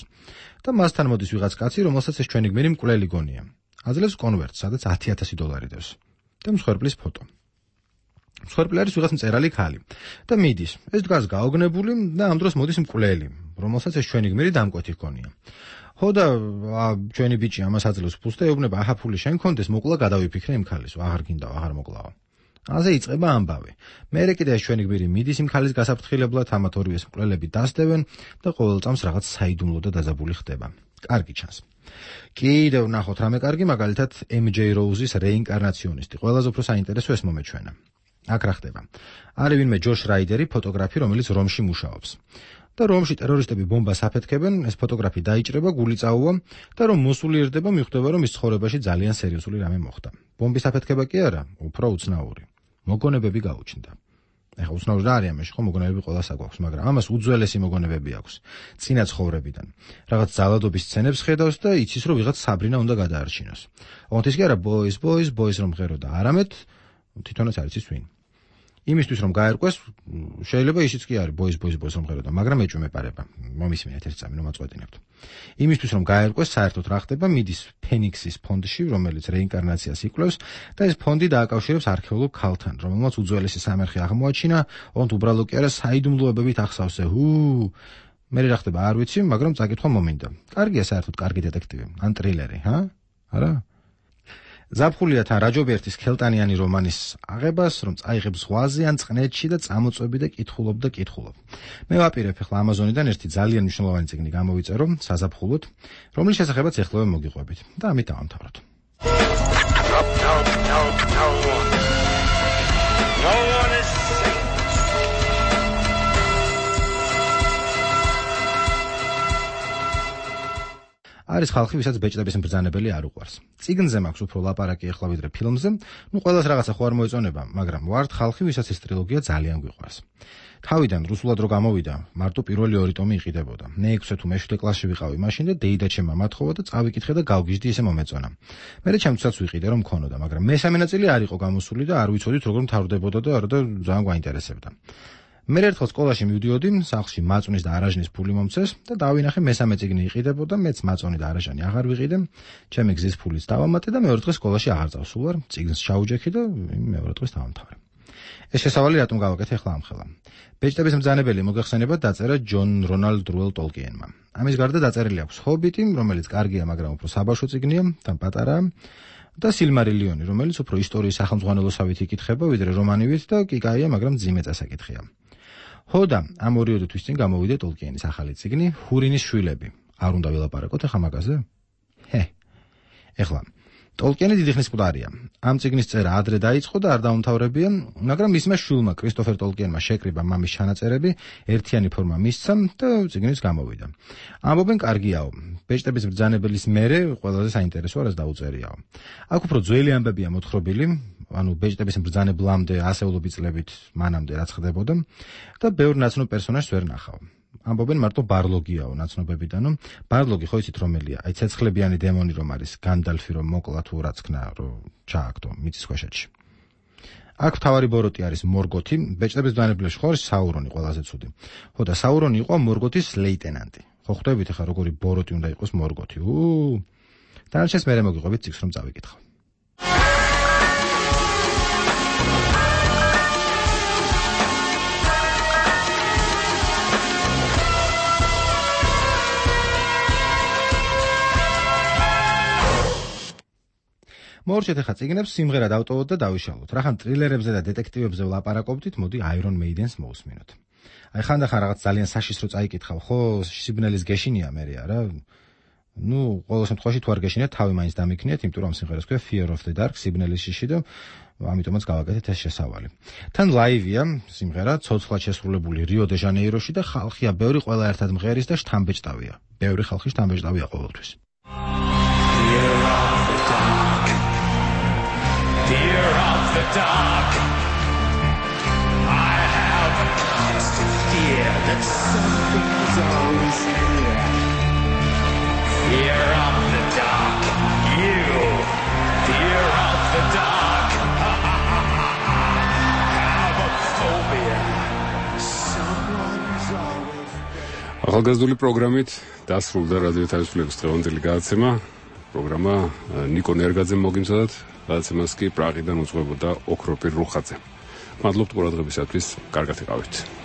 და მასთან მოდის ვიღაც კაცი, რომელსაც ეს ჩვენი გმირი მკვლელი გონია. აძლევს კონვერტს, სადაც ათი ათასი დოლარი დევს. და მსხვერპლის ფოტო. მსხვერპლი არის ვიღაც მწერალი ქალი და მიდის. ეს დგას გაოგნებული და ამ დროს მოდის მკვლელი, რომელსაც ეს ჩვენი გმირი დამკვეთი ჰქონია. ხოდა ჩვენი ბიჭი ამას აძლევს ფულს და ეუბნება, აჰა ფული შენ გქონდეს, მოკლა გადავიფიქრე იმ ქალის, აღარ გინდა, აღარ მოკლაო. ასე იწყება ამბავი. მერე კიდე ეს ჩვენი გმირი მიდის იმ ქალის გასაფრთხილებლად, ამათ ორივეს მკვლელები დასდევენ და ყოველ წამს რაღაც საიდუმლო და დაძაბული ხდება. კარგი ჩანს. კიდევ ნახოთ რამე კარგი, მაგალითად ემ ჯეი Rose-ის რეინკარნაციონისტი. ყველაზე უფრო საინტერესო ეს მომეჩვენა. აქ რა ხდება? არის ვინმე ჯოშ რაიდერი, ფოტოგრაფი, რომელიც რომში მუშაობს. და რომში ტერორისტები ბომბას აფეთქებენ, ეს ფოტოგრაფი დაიჭრება, გული წაუვა და რომ მოსულიერდება, მიხვდება, რომ ის ცხოვრებაში ძალიან სერიოზული რამე მოხდა. ბომბის აფეთქება კი არა, უფრო უცნაური. მოგონებები გაუჩნდა. ეხლა უცნაური რა არის ამაში, ხო მოგონებები ყველას აქვს, მაგრამ ამას უძველესი მოგონებები აქვს, წინა ცხოვრებიდან. რაღაც ძალადობის სცენებს ხედავს და იცის, რომ ვიღაც საბრინა უნდა გადაარჩინოს. ოღონდ ის კი არა boys, boys, boys რომ ღეროდა, არამედ თვითონაც არ იცის ვინ. იმისთვის რომ გაერკვეს, შეიძლება ისიც კი არის boys, boys, boys რომ ღეროდა, მაგრამ ეჭვი მეპარება. მომისმინეთ ერთ წამი, რომ აწყვეტინებთ. იმისთვის რომ გაერკვეს, საერთოდ რა ხდება, მიდის ფენიქსის ფონდში, რომელიც რეინკარნაციას იკვლევს და ეს ფონდი დააკავშირებს არქეოლოგ ქალთან, რომელმაც უძველესი სამარხი აღმოაჩინა, ოღონდ უბრალო კი არა, საიდუმლოებებით ახსავსე. ჰუ! მე რა ხდება, არ ვიცი, მაგრამ წაკითხვა მომინდა. კარგია საერთოდ კარგი დეტექტივი, ან ტრილერი, ჰა? არა? ზაფხულია თან რაჯობერთის ქელტანიანი რომანის აღებას, რომ წაიღებ ზღვაზე ან წყნეთში და წამოწვევი და კითხულობ და კითხულობ. მე ვაპირებ ახლა ამაზონიდან ერთი ძალიან მნიშვნელოვანი წიგნი გამოვიწერო საზაფხულოდ, რომლის შესახებაც ეხლავე მოგიყვებით და ამით დავამთავროთ. არის ხალხი, ვისაც ბეჭდების მბრძანებელი არ უყვარს. წიგნზე მაქვს უფრო ლაპარაკი ახლა ვიდრე ფილმზე, ნუ ყველას რაღაცა ხო არ მოეწონება, მაგრამ ვართ ხალხი, ვისაც ეს ტრილოგია ძალიან გვიყვარს. თავიდან რუსულად რო გამოვიდა, მარტო პირველი ორი ტომი იყიდებოდა. მე ექვსე თუ მეშვიდე კლასში ვიყავი მაშინ და დეიდა ჩემმა მათხოვა და წავიკითხე და გავგიჟდი ისე მომეწონა. მერე ჩემთვისაც ვიყიდე რომ მქონოდა, მაგრამ მესამე ნაწილი არ იყო გამოსული და არ ვიცოდით როგორ მთავრდებოდა და არა და ძალიან გვაინტერესებდა. მე ერთხელ სკოლაში მივდიოდი, სახლში მაწვნის და არაჟნის ფული მომწეს და დავინახე მესამე წიგნი იყიდებოდა, მეც მაწვნი და არაჟანი აღარ ვიყიდე, ჩემი გზის ფულიც დავამატე და მეორე დღეს სკოლაში აღარ წავსულ ვარ, წიგნს ჩაუჯექი და მეორე დღეს დავამთავრე. ეს შესავალი რატომ გავაკეთე ახლა ამხელა? ბეჭდების მბრძანებელი მოგეხსენებათ დაწერა ჯონ რონალდ რუელ ტოლკიენმა. ამის გარდა დაწერილი აქვს ჰობიტი, რომელიც კარგია, მაგრამ უფრო საბავშვო წიგნია, თან პატარაა, და სილმარილიონი, რომელიც უფრო ისტორიის სახელმძღვანელოსავით იკითხება, ვიდრე რომანივით და კი კაია, მაგრამ ძიმე წასაკითხია. ხოდა ამ ორი თვის წინ გამოვიდა ტოლკიენის ახალი წიგნი ჰურინის შვილები. არ უნდა ვილაპარაკოთ ახლა მაგაზე? ჰე. ეხლა ტოლკიენი დიდი ხნის მკვდარია. ამ წიგნის წერა ადრე დაიწყო და არ დაუმთავრებია, მაგრამ მისმა შვილმა კრისტოფერ ტოლკიენმა შეკრიბა მამის ჩანაწერები, ერთიანი ფორმა მისცა და წიგნიც გამოვიდა. ამბობენ კარგიაო. ბეჭდების მბრძანებელის მერე ყველაზე საინტერესო არას დაუწერიაო. აქ უფრო ძველი ამბებია მოთხრობილი, ანუ ბეჭდების მბრძანებლამდე ასეულობი წლებით მანამდე რაც ხდებოდა და ბევრ ნაცნობ პერსონაჟს ვერ ნახავ. ამბობენ მარტო ბარლოგიაო ნაცნობებიდან, რომ ბარლოგი ხო იცით რომელია? აი ცეცხლებიანი დემონი რომ არის, განდალფი რომ მოკლა თუ რაც ქნა, რომ ჩააგდო მიწის ქვეშეთში. აქ თავარი ბოროტი არის მორგოთი, ბეჭდების მბრძანებლებში ხო არის საურონი ყველაზე ცუდი. ხო და საურონი იყო მორგოთის ლეიტენანტი. ხო ხვდებით ახლა როგორი ბოროტი უნდა იყოს მორგოთი. უ დანარჩენს მერე მოგიყვებით წიგნს რომ წავიკითხო. მორჩეთ ახლა წიგნებს სიმღერა დავტოვოთ და დავიშალოთ. რახან ტრილერებზე და დეტექტივებზე ვლაპარაკობდით, მოდი Iron Maiden-ს მოусმინოთ. აი ხანდახან რაღაც ძალიან საშიშრო წაიკითხავ, ხო, სიბნელის გეშინია მერე არა? ნუ, ყოველ შემთხვევაში თუ არ გეშინიათ, თავი მაინც დამიქნიათ, იმიტომ რომ სიმღერას ქვია Fear of the Dark, სიბნელის შიში და ამიტომაც გავაკეთეთ ეს შესავალი. თან ლაივია სიმღერა, ცოცხლად შესრულებული რიო დე ჟანეიროში და ხალხია ბევრი, ყველა ერთად მღერის და შთამბეჭდავია. ბევრი ხალხი შთამბეჭდავია ყოველთვის. Fear of the dark. I have a Something's always here. Fear of the dark. You. Fear of the dark. Have a phobia. Someone's always there. ახალგაზრდული პროგრამით დასრულდა რადიო თავისუფლების დღევანდელი გადაცემა. პროგრამა ნიკო ნერგაძემ მოგიმზადათ, გადაცემას კი პრაღიდან უძღვებოდა ოქროპირ რუხაძე. მადლობთ ყურადღებისათვის, კარგად იყავით.